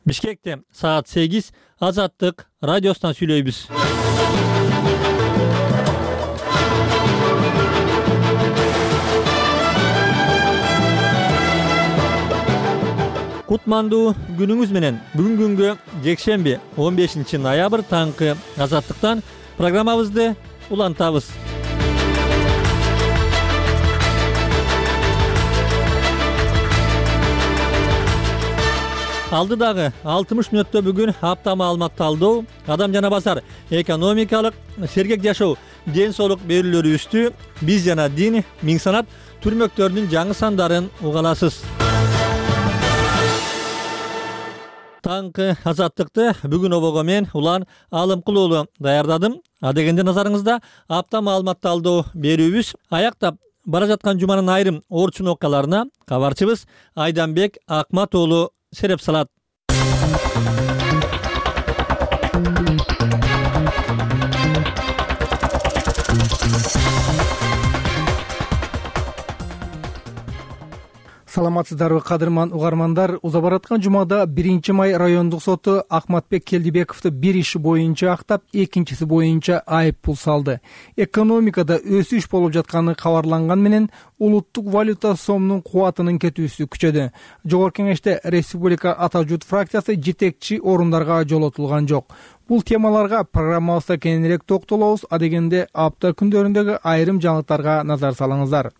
Бишкекте саат 8 Азаттык радиосунан сүйлөйбүз. Кутмандуу күнүңүз менен. Бүгүн күнгө жекшемби 15 ноябрь таңкы Азаттыктан программабызды улантабыз. Алдыдагы 60 мүнөттө бүгүн апта маалымат талдоо, адам жана базар, экономикалык, сергек жашоо, ден соолук берүүлөрүбүздү биз жана дин, миң санат түрмөктөрүнүн жаңы сандарын уга аласыз. Таңкы Азаттыкты бүгүн обого мен Улан Алымкулуулу даярдадым. Адегенде назарыңызда апта маалымат талдоо берүүбүз аяктап бара жаткан жуманын айрым орчун окуяларына кабарчыбыз Айданбек Акмат уулу сереп салат. Саламатсыздарбы кадырман угармандар. Уза бараткан жумада 1-май райондук соту Акматбек Келдибековду бир иши боюнча актап, экинчиси боюнча айып пул салды. Экономикада өсүш болуп жатканы кабарланган менен улуттук валюта сомдун кубатынын кетүүсү күчөдү. Жогорку кеңеште Республика Ата журт фракциясы жетекчи орундарга жолотулган жок. Бул темаларга программабызда кененирээк токтолобуз. Адегенде апта күндөрүндөгү айрым жаңылыктарга назар салыңыздар.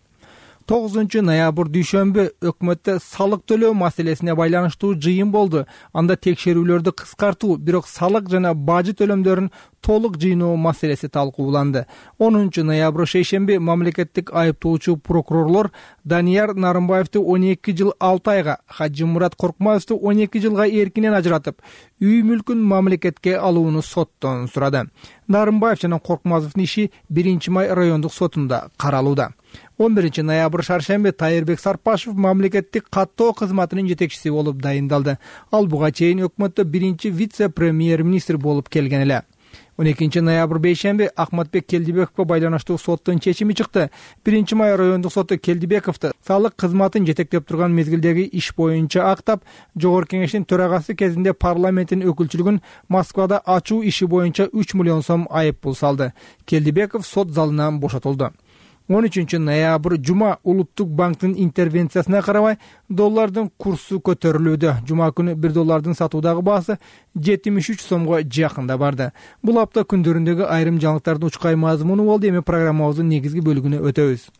9 ноябрь дүйшөмбү өкмөттө салык төлөө маселесине байланыштуу жыйын болду. Анда текшерүүлөрдү кыскартуу, бирок салык жана бажы төлөмдөрүн толук жыйноо маселеси талкууланды. 10 ноябрь шейшемби мамлекеттик айыптоочу прокурорлор Данияр Нарымбаевди 12 жыл 6 айга, Хажимурат Коркмаевди 12 жылга эркинен ажыратып, үй мүлкүн мамлекетке алууну соттон сурады. Нарымбаев жана Коркмазовдун иши 1-май райондук сотунда каралууда. 11 ноябрь шаршемби Тайырбек Сарпашев мамлекеттик каттоо кызматынын жетекчиси болуп дайындалды. Ал буга чейин өкмөттө биринчи вице-премьер-министр болуп келген эле. 12 ноябрь бейшемби Акматбек Келдибековго байланыштуу соттун чечими чыкты. 1-май райондук соту Келдибековду салык кызматын жетектеп турган мезгилдеги иш боюнча актап, жогорку кеңештин төрагасы кезинде парламенттин өкүлчүлүгүн Москвада ачуу иши боюнча 3 миллион сом айып пул салды. Келдибеков сот залынан бошотулду. 13 ноябрь жума Улуттук банктын интервенциясына карабай доллардын курсу көтөрүлүүдө. Жума күнү 1 доллардын сатуудагы баасы 73 сомго жакында барды. Бул апта күндөрүндөгү айрым жаңылыктардын учкай мазмуну болду. Эми программабыздын негизги бөлүгүнө өтөбүз.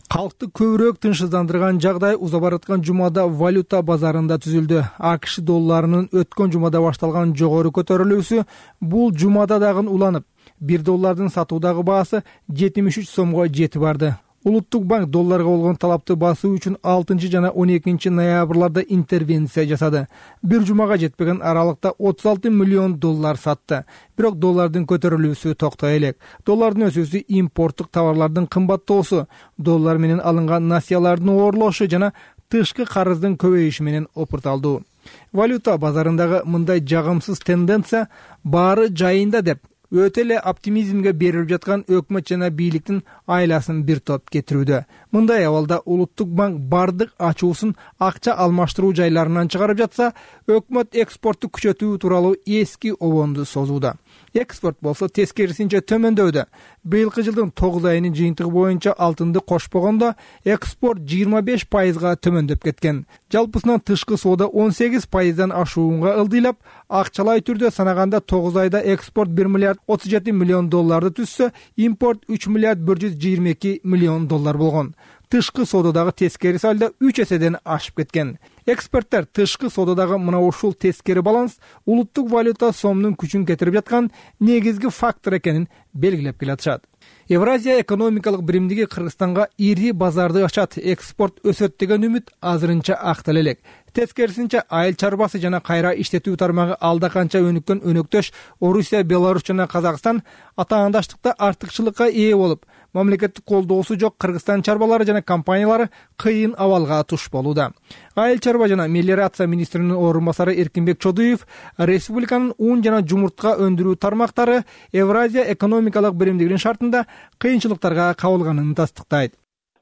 Калкты көбүрөөк тынчсыздандырган жагдай уза бараткан жумада валюта базарында түзүлдү. АКШ долларынын өткөн жумада башталган жогору көтөрүлүүсү бул жумада дагы уланып, 1 доллардын сатуудагы баасы 73 сомго жетип барды. Улуттук банк долларга болгон талапты басуу үчүн 6 жана 12 ноябрларда интервенция жасады. Бир жумага жетпеген аралыкта 36 миллион доллар сатты. Бирок доллардын көтөрүлүүсү токтой элек. Доллардын өсүүсү импорттук товарлардын кымбаттоосу, доллар менен алынган насыялардын ooрлошу жана тышкы карыздын көбөйүшү менен опурталдуу. Валюта базарындагы мындай жагымсыз тенденция баары жайында деп өтө эле оптимизмге берилип жаткан өкмөт жана бийликтин айласын бир топ кетирүүдө. Мындай абалда Улуттук банк бардык ачуусун акча алмаштыруу жайларынан чыгарып жатса, өкмөт экспортту күчөтүү тууралуу эски обонду созууда. Экспорт болсо тескерисинче төмөндөүүдө. Быйылкы жылдын 9 айынын жыйынтыгы боюнча алтынды кошпогондо экспорт 25%га төмөндөп кеткен. Жалпысынан тышкы соода 18%дан ашуунга ылдыйлап, акчалай түрдө санаганда 9 айда экспорт 1 миллиард 37 миллион долларды түзсө, импорт 3 миллиард 122 миллион доллар болгон. Тышкы соодадагы тескери сальдо 3 эседен ашып кеткен. Эксперттер тышкы соодадагы мына ушул тескери баланс улуттук валюта сомдун күчүн кетирип жаткан негизги фактор экенин белгилеп келатышат. Евразия экономикалык биримдиги Кыргызстанга ири базарды ачат, экспорт өсөт деген үмүт азырынча актала элек. Тескерисинче айыл чарбасы жана кайра иштетүү тармагы алда канча өнүккөн өнөктөш Орусия, Беларусь жана Казакстан атаандаштыкта артыкчылыкка ээ болуп, мамлекеттик колдоосу жок Кыргызстан чарбалары жана компаниялары кыйын абалга туш болууда. Айыл чарба жана мелиорация министринин орун басары Эркинбек Чодуев республиканын ун жана жумуртка өндүрүү тармактары Евразия экономикалык биримдигинин шартында кыйынчылыктарга кабылганын тастыктайт.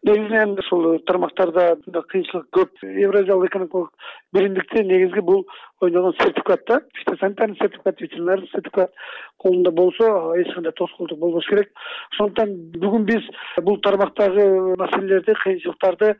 Негизинен ушул тармактарда кыйынчылык көп. Евразиялык экономикалык биримдикте негизги бул ойногон сертификат да. Фитосанитарный сертификат, ветеринарный сертификат колунда болсо эч кандай тоскоолдук болбош керек. Ошондуктан бүгүн биз бул тармактагы маселелерди, кыйынчылыктарды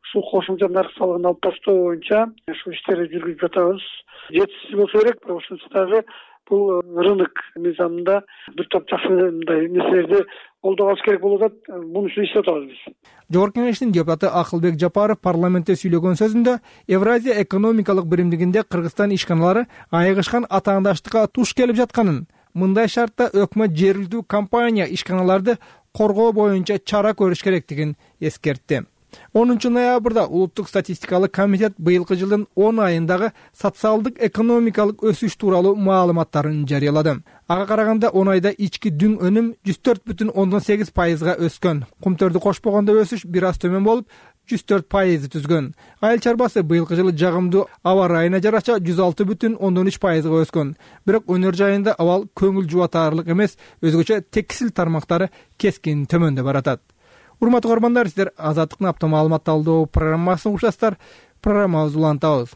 ушул кошумча нарк салыгын алып таштоо боюнча ушул иштерди жүргүзүп жатабыз. Жетишсиз болсо керек, бирок ошончо дагы бул рынок мыйзамында бир топ жакшы мындай нерселерди колдоп алыш керек болуп атат. Муну үчүн иштеп атабыз биз. Жогорку Кеңештин депутаты Акылбек Жапаров парламентте сүйлөгөн сөзүндө Евразия экономикалык биримдигинде Кыргызстан ишканалары айыгышкан атаандаштыкка туш келип жатканын, мындай шартта өкмөт жергиликтүү компания ишканаларды коргоо боюнча чара көрүш керектигин эскертти. 10 ноябрда Улуттук статистикалык комитет быйылкы жылдын 10 айындагы социалдык экономикалык өсүш тууралуу маалыматтарын жарыялады. Ага караганда 10 айда ички дүң өнүм 104,8%га өскөн. Кумтөрдү кошпогондо өсүш бир аз төмөн болуп 104% түзгөн. Айыл чарбасы быйылкы жылы жагымдуу аба ырайына жараша 106,3%га өскөн. Бирок өнөр жайында абал көңүл жубатаарлык эмес, өзгөчө текстил тармактары кескин төмөндө баратат. Урматтуу көрөрмандар, сиздер Азаттыктын апта маалымат талдоо программасын угушасыздар. Программабызды улантабыз.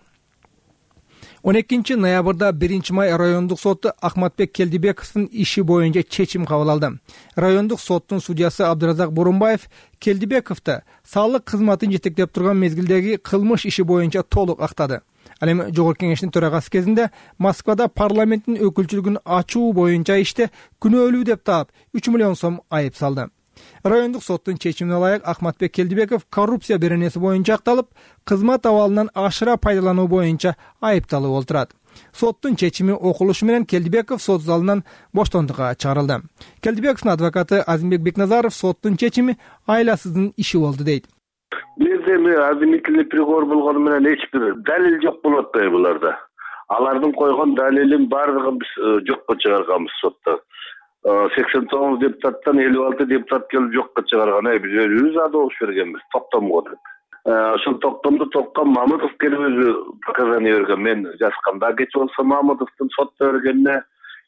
12 ноябрда 1 май райондук соту Ахматбек Келдибековдун иши боюнча чечим кабыл алды. Райондук соттун судьясы Абдыразак Бурунбаев Келдибековду салык кызматын жетектеп турган мезгилдеги кылмыш иши боюнча толук актады. Ал эми Жогорку Кеңештин төрагасы кезинде Москвада парламенттин өкүлчүлүгүн ачуу боюнча иште күнөөлүү деп таап 3 миллион сом айып салды. Райондук соттун чечимине ылайык Ахматбек Келдибеков коррупция беренеси боюнча акталып, кызмат абалынан ашыра пайдалануу боюнча айыпталып отурат. Соттун чечими окулушу менен Келдибеков сот залынан боштондукка чыгарылды. Келдибековдун адвокаты Азимбек Бекназаров соттун чечими айласыздын иши болду дейт. Бизде обвинительный приговор болгону менен эч бир далил жок болуп атпайбы буларда. Алардын койгон далилин баардыгын биз жокко чыгарганбыз сотто. 89 депутаттан 56 депутат келип жокко чыгарган. Биз өзүбүз да добуш бергенбиз, токтомго деп. Ошол токтомду токкан Мамытов келип өзү показания берген. Мен жазганда кеч болсо Мамытовдун сотто бергенине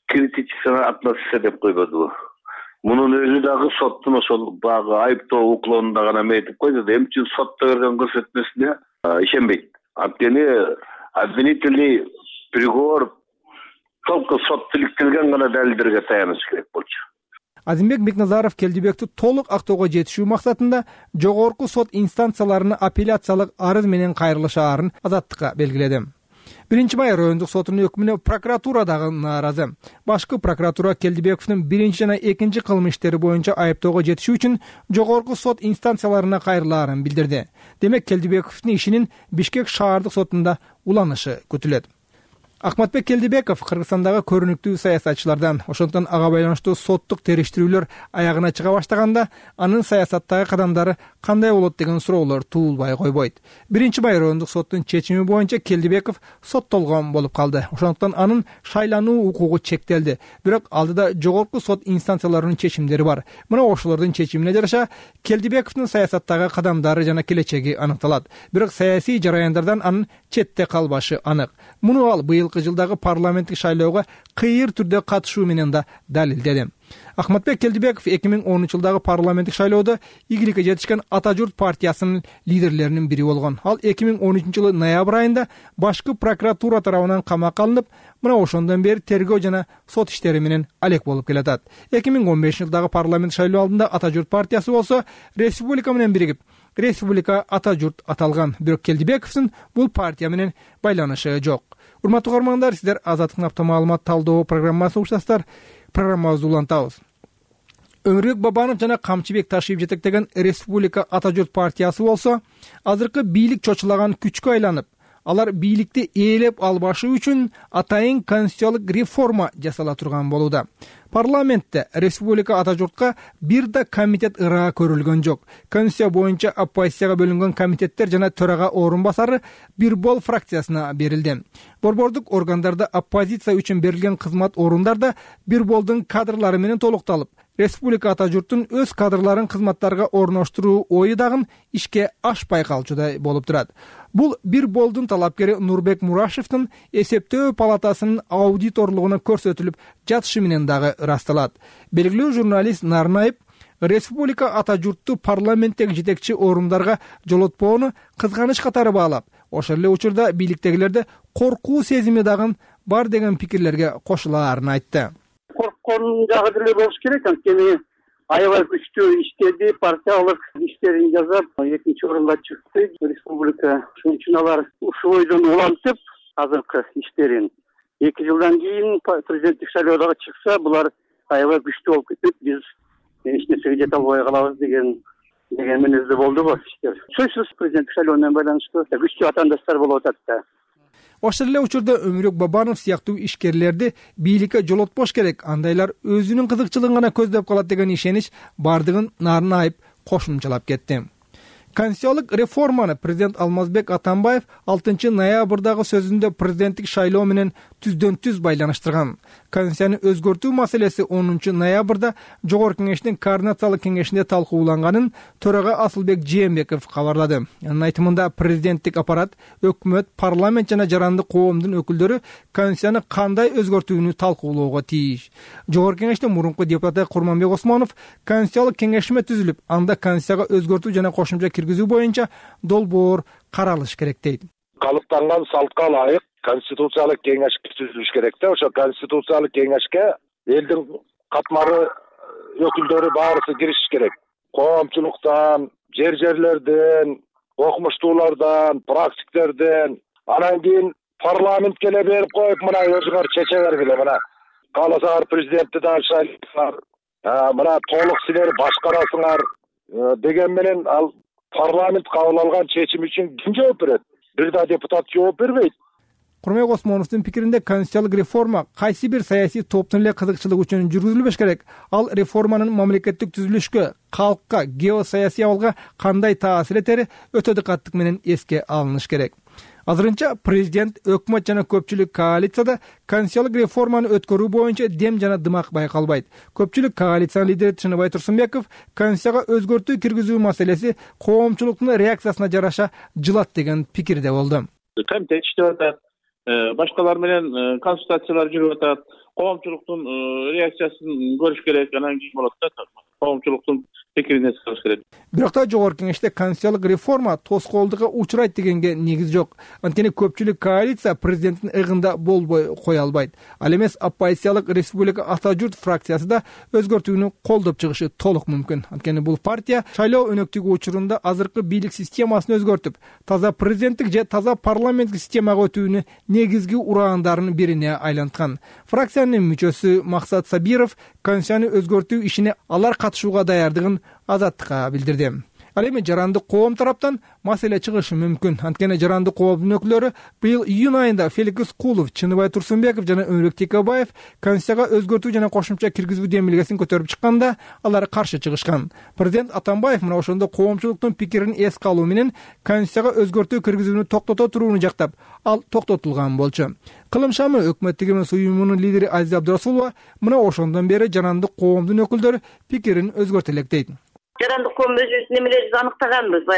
критическая относиться деп койбодубу. Мунун өзү дагы соттун ошол багы айыптоо уклонунда гана метип койду. Эмне үчүн сотто берген көрсөтмөсүнө ишенбейт. Анткени обвинительный приговор толку сот тиликтелген гана далилдерге таяныш керек болчу. Азимбек Бекназаров Келдибекти толук актоого жетишүү максатында жогорку сот инстанцияларына апелляциялык арыз менен кайрылышаарын Азаттыкка белгиледи. 1 май райондук сотунун өкүмүнө прокуратура дагы нааразы. Башкы прокуратура Келдибековдун 1 жана 2 кылмыш иштери боюнча айыптоого жетишүү үчүн жогорку сот инстанцияларына кайрылаарын билдирди. Демек Келдибековдун ишинин Бишкек шаардык сотунда уланышы күтүлөт. Ахматбек Келдибеков Кыргызстандагы көрүнүктүү саясатчылардан, ошондон ага байланыштуу соттук териштирүүлөр аягына чыга баштаганда, анын саясаттагы кадамдары кандай болот деген суроолор туулбай койбойт. 1 май райондук соттун чечими боюнча Келдибеков соттолгон болуп калды. Ошондуктан анын шайлануу укугу чектелди. Бирок алдыда жогорку сот инстанцияларынын чечимдери бар. Мына ошолордун чечимине жараша Келдибековдун саясаттагы кадамдары жана келечеги аныкталат. Бирок саясий жараяндардан анын четте калбашы анык. Муну ал быйылкы жылдагы парламенттик шайлоого кыйыр түрдө катышуу менен да далилдеди. Ахматбек Келдибеков 2010 жылдагы парламенттик шайлоодо ийгиликке жетишкен Ата журт партиясынын лидерлеринин бири болгон. Ал 2013 жылы ноябрь айында башкы прокуратура тарабынан камакка алынып, мына ошондон бери тергөө жана сот иштери менен алек болуп келатат. 2015 жылдагы парламент шайлоо алдында Ата журт партиясы болсо республика менен биригип Республика Ата журт аталган. Бирок Келдибековдун бул партия менен байланышы жок. Урматтуу көрөрмандар, сиздер Азаттыктын апта маалымат талдоо программасын угушасыздар. Программабызды улантабыз. Өмүрбек Бабанов жана Камчыбек Ташиев жетектеген Республика Ата журт партиясы болсо, азыркы бийлик чочулаган күчкө айланып, алар бийликти ээлеп албашы үчүн атайын конституциялык реформа жасала турган болууда. Парламентте Республика Ата журтка бир да комитет ыраа көрүлгөн жок. Конституция боюнча оппозицияга бөлүнгөн комитеттер жана төрага орун басары бир бол фракциясына берилди. Борбордук органдарда оппозиция үчүн берилген кызмат орундарда бир болдун кадрлары менен толукталып, Республика Ата журттун өз кадрларын кызматтарга орноштуруу ою дагы ишке ашпай калчудай болуп турат. Бул бир болдун талапкери Нурбек Мурашевдин эсептөө палатасынын аудиторлугуна көрсөтүлүп жатышы менен дагы ырасталат. Белгилүү журналист Нарнаев республика ата журтту парламенттеги жетекчи орундарга жолотпоону кызганыч катары баалап, ошол эле учурда бийликтегилерде коркуу сезими дагы бар деген пикирлерге кошулаарын айтты. Корккон жагы деле болуш керек, анткени аябай күчтүү иштеди, партиялык иштерин жасап, экинчи орунга чыкты. Республика ушун үчүн алар ушул ойдон улантып, азыркы иштерин 2 жылдан кийин президенттик шайлоодо чыкса, булар аябай күчтүү болуп кетет. Биз эч нерсеге жете албай калабыз деген мүнөздө болду го иштер. Сөзсүз президенттик шайлоо менен байланыштуу күчтүү атаандаштар болуп атат да. Ошол эле учурда Өмүрөк Бабанов сыяктуу ишкерлерди бийликке жолотпош керек, андайлар өзүнүн кызыкчылыгын гана көздөп калат деген ишенич бардыгын нарын айып кошумчалап кетти. Конституциялык реформаны президент Алмазбек Атамбаев 6 ноябрдагы сөзүндө президенттик шайлоо менен түздөн-түз байланыштырган. Конституцияны өзгөртүү маселеси 10 ноябрда Жогорку Кеңештин координациялык кеңешинде талкууланганын төрага Асылбек Жээнбеков кабарлады. Анын айтымында президенттик аппарат, өкмөт, парламент жана жарандык коомдун өкүлдөрү Конституцияны кандай өзгөртүүнү талкуулоого тийиш. Жогорку Кеңештин мурунку депутаты Курманбек Осмонов Конституциялык кеңешме түзүлүп, анда Конституцияга өзгөртүү жана кошумча киргизүү боюнча долбоор каралыш керек дейт. Калыптанган салтка ылайык конституциялык кеңеш түзүлүш керек да. Ошо конституциялык кеңешке элдин катмары өкүлдөрү баарысы киришиш керек. Коомчулуктан, жерлерден, окумуштуулардан, практиктерден, анан кийин парламентке эле берип коюп, мына өзүңөр чече бергиле, мына кааласаңар президентти да шайлайсыңар, мына толук силер башкарасыңар деген менен ал парламент кабыл алган чечим үчүн ким жооп берет? Бир да депутат жооп бербейт. Курманбек Осмоновдун пикиринде конституциялык реформа кайсы бир саясий топтун эле кызыкчылыгы үчүн жүргүзүлбөш керек. Ал реформанын мамлекеттик түзүлүшкө, калкка, геосаясий абалга кандай таасир этери өтө диккаттык менен эске алыныш керек. Азырынча президент, өкмөт жана көпчүлүк коалицияда конституциялык реформаны өткөрүү боюнча дем жана дымак байкалбайт. Көпчүлүк коалициянын лидери Чыныбай Турсунбеков Конституцияга өзгөртүү киргизүү маселеси коомчулуктун реакциясына жараша жылат деген пикирде болду. Комитет иштеп атат, башкалар менен консультациялар жүрүп атат. Коомчулуктун реакциясын көрүш керек, анан кийин болот да. Коомчулуктун пикирине салыш керек. Бирок да Жогорку Кеңеште конституциялык реформа тоскоолдукка учурайт дегенге негиз жок. Анткени көпчүлүк коалиция президенттин ыгында болбой кое албайт. Ал эмес оппозициялык Республика ата журт фракциясы да өзгөртүүнү колдоп чыгышы толук мүмкүн. Анткени бул партия шайлоо өнөктүгү учурунда азыркы бийлик системасын өзгөртүп, таза президенттик же таза парламенттик системага өтүүнү негизги ураандардын бирине айланткан. Фракциянын мүчөсү Максат Сабиров конституцияны өзгөртүү ишине алар катышууга даярдыгын Азаттыкка билдирди. Ал эми жарандык коом тараптан маселе чыгышы мүмкүн. Анткени жарандык коомдун өкүлдөрү быйыл июнь айында Феликс Кулов, Чыныбай Турсунбеков жана Өмүрбек Текебаев Конституцияга өзгөртүү жана кошумча киргизүү демилгесин көтөрүп чыкканда, алар каршы чыгышкан. Президент Атамбаев мына ошондо коомчулуктун пикирин эске алуу менен Конституцияга өзгөртүү киргизүүнү токтото турууну жактап, ал токтотулган болчу. Кылым шамы өкмөттүк эмес уюмунун лидери Азиза Абдырасулова мына ошондон бери жарандык коомдун өкүлдөрү пикирин өзгөртө элек дейт. Жарандык коом өзүбүздүн немелерибизди аныктаганбыз.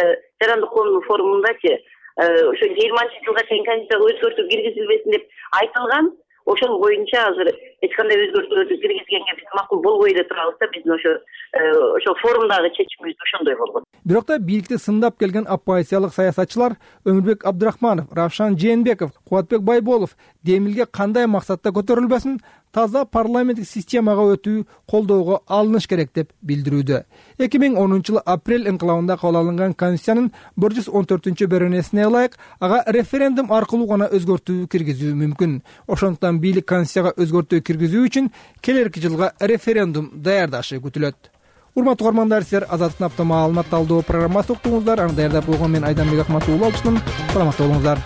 Жарандык коомдун форумундачы ошо 20-жылга чейин Конституцияга өзгөртүү киргизилбесин деп айтылган. Ошол боюнча азыр эч кандай өзгөртүүлөрдү киргизгенге биз макул болбой эле турабыз да. Биздин ошо форумдагы чечимибиз ошондой болгон. Бирок да бийликти сындап келген оппозициялык саясатчылар Өмүрбек Абдрахманов, Равшан Жээнбеков, Кубатбек Байболов демилге кандай максатта көтөрүлбөсүн таза парламенттик системага өтүү колдоого алыныш керек деп билдирүүдө. 2010 жылы апрель инкылабында кабыл алынган Конституциянын 114-беренесине ылайык ага референдум аркылуу гана өзгөртүү киргизүү мүмкүн. Ошондуктан бийлик Конституцияга өзгөртүү киргизүү үчүн келерки жылга референдум даярдашы күтүлөт. Урматтуу көрөрмандар, силер Азаттыктын апта маалымат талдоо программасын уктуңуздар. Аны даярдап койгон мен Айданбек Акматов уулу алчумун. Саламатта болуңуздар.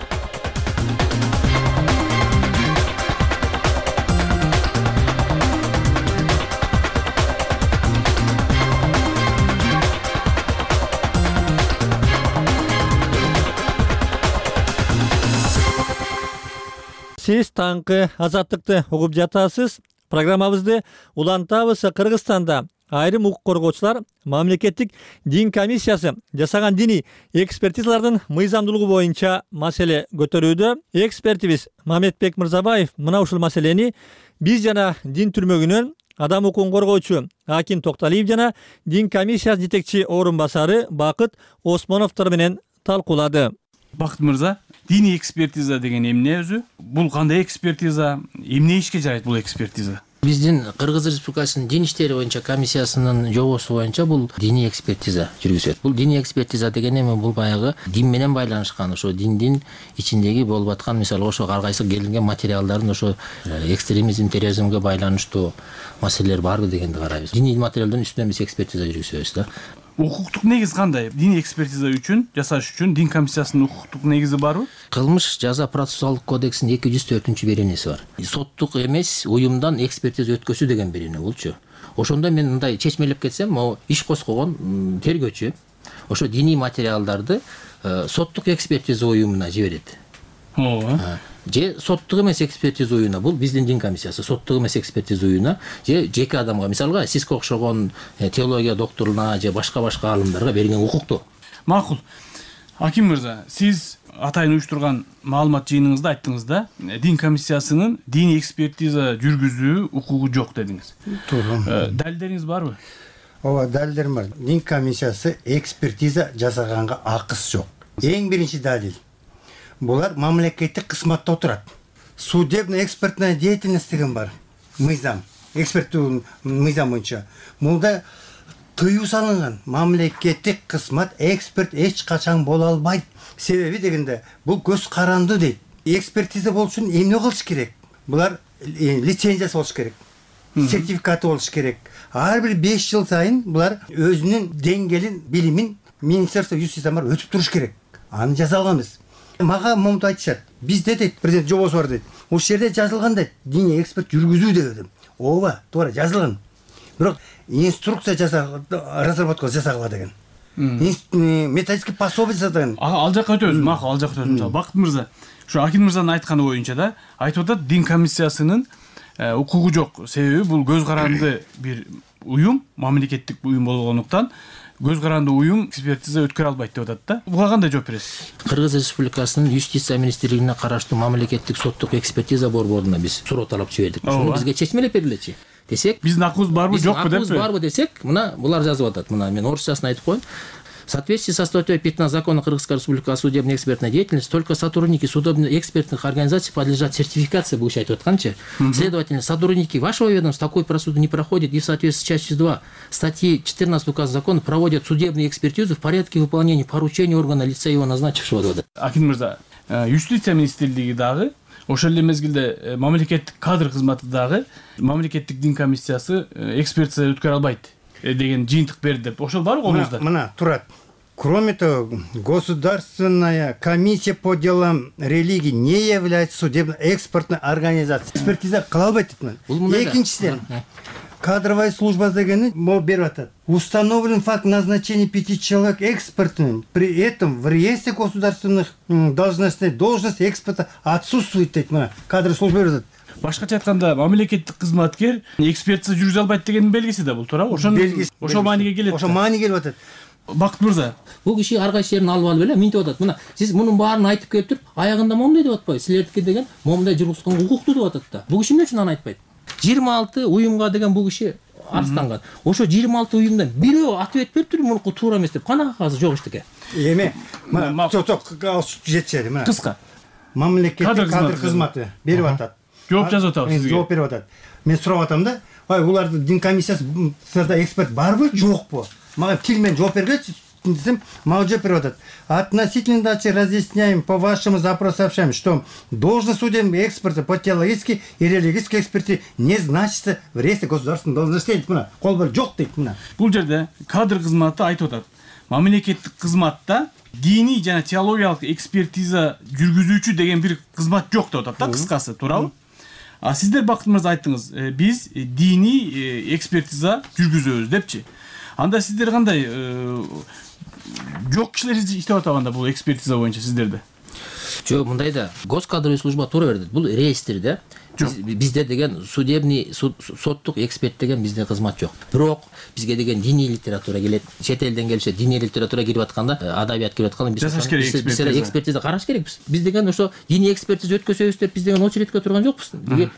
Сиз таңкы Азаттыкты угуп жатасыз. Программабызды улантабыз. Кыргызстанда айрым укук коргоочулар мамлекеттик дин комиссиясы жасаган диний экспертизалардын мыйзамдуулугу боюнча маселе көтөрүүдө. Экспертибиз Мамедбек Мырзабаев мына ушул маселени биз жана дин түрмөгүнөн адам укугун коргоочу Акин Токталиев жана дин комиссиясы жетекчи орун басары Бакыт Осмоновдор менен талкуулады. Бакыт мырза, диний экспертиза деген эмне өзү? Бул кандай экспертиза? Эмне ишке жарайт бул экспертиза? Биздин Кыргыз Республикасынын дин иштери боюнча комиссиясынын жобосу боюнча бул диний экспертиза жүргүзөт. Бул диний экспертиза деген эме бул баягы дин менен байланышкан, ошо диндин ичиндеги болуп аткан, мисалы ошо ар кайсы келинген материалдардын ошо экстремизм, терроризмге байланыштуу маселелер барбы дегенди карайбыз. Диний материалдын үстүнөн биз экспертиза жүргүзөбүз да. Укуктук негиз кандай? Диний экспертиза үчүн жасаш үчүн дин комиссиясынын укуктук негизи барбы? Кылмыш жаза процессуалдык кодексинин 204-беренеси бар. Соттук эмес уюмдан экспертиза өткөзүү деген берене болчу. Ошондо мен мындай чечмелеп кетсем, могу иш козгогон тергөөчү ошо диний материалдарды соттук экспертиза уюмуна жиберет. Ооба. Же соттук эмес экспертиза уюмуна, бул биздин дин комиссиясы, соттук эмес экспертиза уюмуна же жеке адамга, мисалга сизге окшогон теология докторуна же башка алымдарга берген укуктуу. Макул. Аким мырза, сиз атайын уюштурган маалымат жыйыныңызда айттыңыз да, дин комиссиясынын диний экспертиза жүргүзүү укугу жок дедиңиз. Туура. Далилдериңиз барбы? Ооба, далилдерим бар. Дин комиссиясы экспертиза жасаганга акысы жок. Эң биринчи далил. Булар мамлекеттик кызматта отурат. Судебно-экспертная деятельность деген бар. Мыйзам, эксперттүү мыйзам боюнча. Мында тыюу салынган. Мамлекеттик кызмат эксперт эч качан боло албайт. Себеби дегенде бул көз каранды дейт. Экспертиза болуш үчүн эмне кылыш керек? Булар лицензиясы болуш керек. Сертификаты болуш керек. Ар бир 5 жыл сайын булар өзүнүн деңгээлин, билимин Министерство юстициядан барып өтүп туруш керек. Аны жазалганбыз. Мага момунду айтышат. Бизде дейт, президент жобосу бар дейт. Ошол жерде жазылган дейт, диний эксперт жүргүзүү деп. Ооба, туура жазылган. Бирок инструкция разработка жасагыла деген. Методический пособие деген. Ал жакка өтөбүз, макул, ал жакка өтөбүз. Бакыт мырза, ушу Акин мырзанын айтканы боюнча да, айтып атат, дин комиссиясынын укугу жок. Себеби бул көз каранды бир уюм, мамлекеттик уюм болгондуктан көз каранды уюм экспертиза өткөрө албайт деп атат да. Буга кандай жооп бересиз? Кыргыз Республикасынын юстиция министрлигине караштуу мамлекеттик соттук экспертиза борборуна биз суроо талап жибердик. Ошону бизге чечмелеп бергилечи десек, биздин акыбыз барбы, жокпу деппи? Акыбыз барбы десек, мына булар жазып атат. Мына мен орусчасын айтып коеюн. В соответствии со статьей 15 Закона Кыргызской Республики о судебной экспертной деятельности только сотрудники судебно-экспертных организаций подлежат сертификации, буга айтып атканчы. Следовательно, сотрудники вашего ведомства такой процедуру не проходят и в соответствии с частью 2 статьи 14 указа закона проводят судебную экспертизу в порядке выполнения поручений органа лица его назначившего. Акин мырза, юстиция министрлиги дагы ошол эле мезгилде мамлекеттик кадр кызматы дагы мамлекеттик дин комиссиясы экспертиза өткөрө албайт деген жыйынтык берди деп. Ошол барбы колуңузда? Мына турат. Кроме того, Государственная комиссия по делам религии не является судебно-экспертной организацией. Экспертиза кыла албайт дейт. Экинчиден, кадровая служба дегени могу берип атат. Установлен факт назначения 5 человек экспертными. При этом в реестре государственных должностей должность эксперта отсутствует дейт. Мына кадровая служба берип атат. Башкача айтканда, мамлекеттик кызматкер экспертиза жүргүзө албайт дегендин белгиси да бул, туура? Ошол мааниге келет. Ошол мааниге келип атат. Бакыт мырза, бул киши ар кайсы жерин алып эле минтип атат. Мына сиз мунун баарын айтып келип туруп, аягында момундай деп атпайбы? Силердики деген момундай жүргүзгөнгө укуктуу деп атат да. Бул киши эмне үчүн аны айтпайт? 26 уюмга деген бул киши арызданган. Ошо 26 уюмдан бирөө ответ берип туруп, мунуку туура эмес деп. Кана кагазы жок эчтеке. Эме, мына жетчери, мына. Кыска. Мамлекеттик кадр кызматы берип атат. Жооп жазып атабыз сизге. Жооп берип атат. Мен сурап атам да, улардын дин комиссиясында эксперт барбы, жокпу? Мага тил менен жооп бергечи десем, мага жооп берип атат. Относительно дачи разъясняем по вашему запросу сообщаем, что должность судебного эксперта по теологической и религиозной экспертизе не значится в реестре государственных должностей. Мына, кол бар жок дейт мына. Бул жерде кадр кызматы айтып атат. Мамлекеттик кызматта диний жана теологиялык экспертиза жүргүзүүчү деген бир кызмат жок деп атат да, кыскасы, туурабы? А сиздер Бакыт мырза айттыңыз, биз диний экспертиза жүргүзөбүз депчи. Анда сиздер кандай жок кишилер иштеп атабанда бул экспертиза боюнча сиздерде? Жок, мындай да, госкадровый служба туура берди. Бул реестрде Бизде деген судебный соттук эксперт деген бизде кызмат жок. Бирок бизге деген диний литература келет. Чет элден келишет. Диний литература кирип атканда, адабият кирип атканда биз экспертиза караш керекпиз. Биз деген ошо диний экспертиза өткөзөбүз деп биз деген очередке турган жокпуз.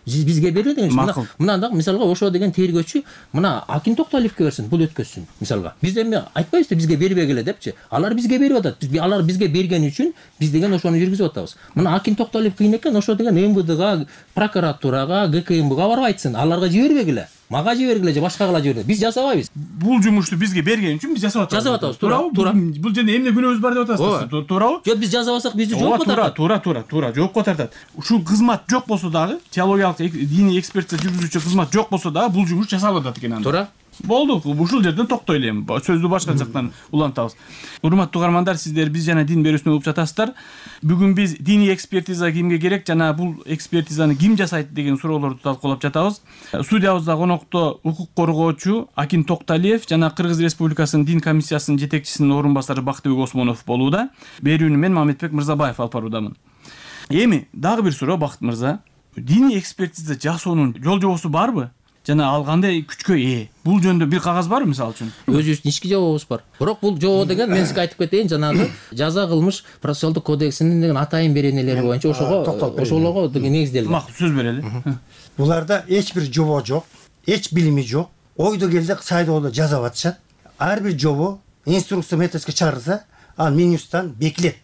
Бизге берилет деген. Мына мисалга ошо деген тергөөчү мына Акин Токталиевке берсин, бул өткөзсүн мисалга. Биз эми айтпайбыз бизге бербегиле депчи. Алар бизге берип атат. Алар бизге берген үчүн биз деген ошону жүргүзүп атабыз. Мына Акин Токталиев кыйын экен, ошо деген МВДга, прокуратурага, ГКМБга барып айтсын. Аларга жибербегиле. Мага жибергиле же башкага жибергиле. Биз жасабайбыз. Бул жумушту бизге берген үчүн биз жасап атабыз. Туурабы? Бул жерде эмне күнөөбүз бар деп атасыз, туурабы? Жок, биз жасабасак бизди жоопко тартат. Туура, жоопко тартат. Ушул кызмат жок болсо дагы, теологиялык диний экспертиза жүргүзүүчү кызмат жок болсо дагы бул жумуш жасалып атат экен анда. Туура. Болду, ушул жерден токтойлу эми. Сөздү башка жактан улантабыз. Урматтуу угармандар, сиздер биз жана дин берүүсүнө угуп жатасыздар. Бүгүн биз диний экспертиза кимге керек жана бул экспертизаны ким жасайт деген суроолорду талкуулап жатабыз. Студиябызда конокто укук коргоочу Акин Токталиев жана Кыргыз Республикасынын дин комиссиясынын жетекчисинин орун басары Бактыбек Осмонов болууда. Берүүнү мен Мамедбек Мырзабаев алып баруудамын. Эми дагы бир суроо, Бакыт мырза. Диний экспертиза жасоонун жол жобосу барбы? Жана ал кандай күчкө ээ? Бул жөнүндө бир кагаз барбы мисалы үчүн? Өзүбүздүн ички жобобуз бар. Бирок бул жобо деген мен сизге айтып кетейин, жанагы жаза кылмыш процессуалдык кодексинин деген атайын беренелери боюнча ошолорго деген негизделген. Макул, сөз берели. Буларда эч бир жобо жок, эч билими жок. Ойдо келди сайдоодо жазап атышат. Ар бир жобо инструкция методика чыгарылса, ал Минюсттан бекилет.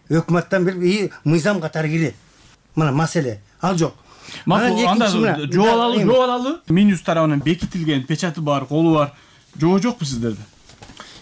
Өкмөттөн бир мыйзам катары кирет. Мына маселе ал жок. Макул, анда жобалалы Минюс тарабынан бекитилген печаты бар, колу бар. Жобо жокпу сиздерде?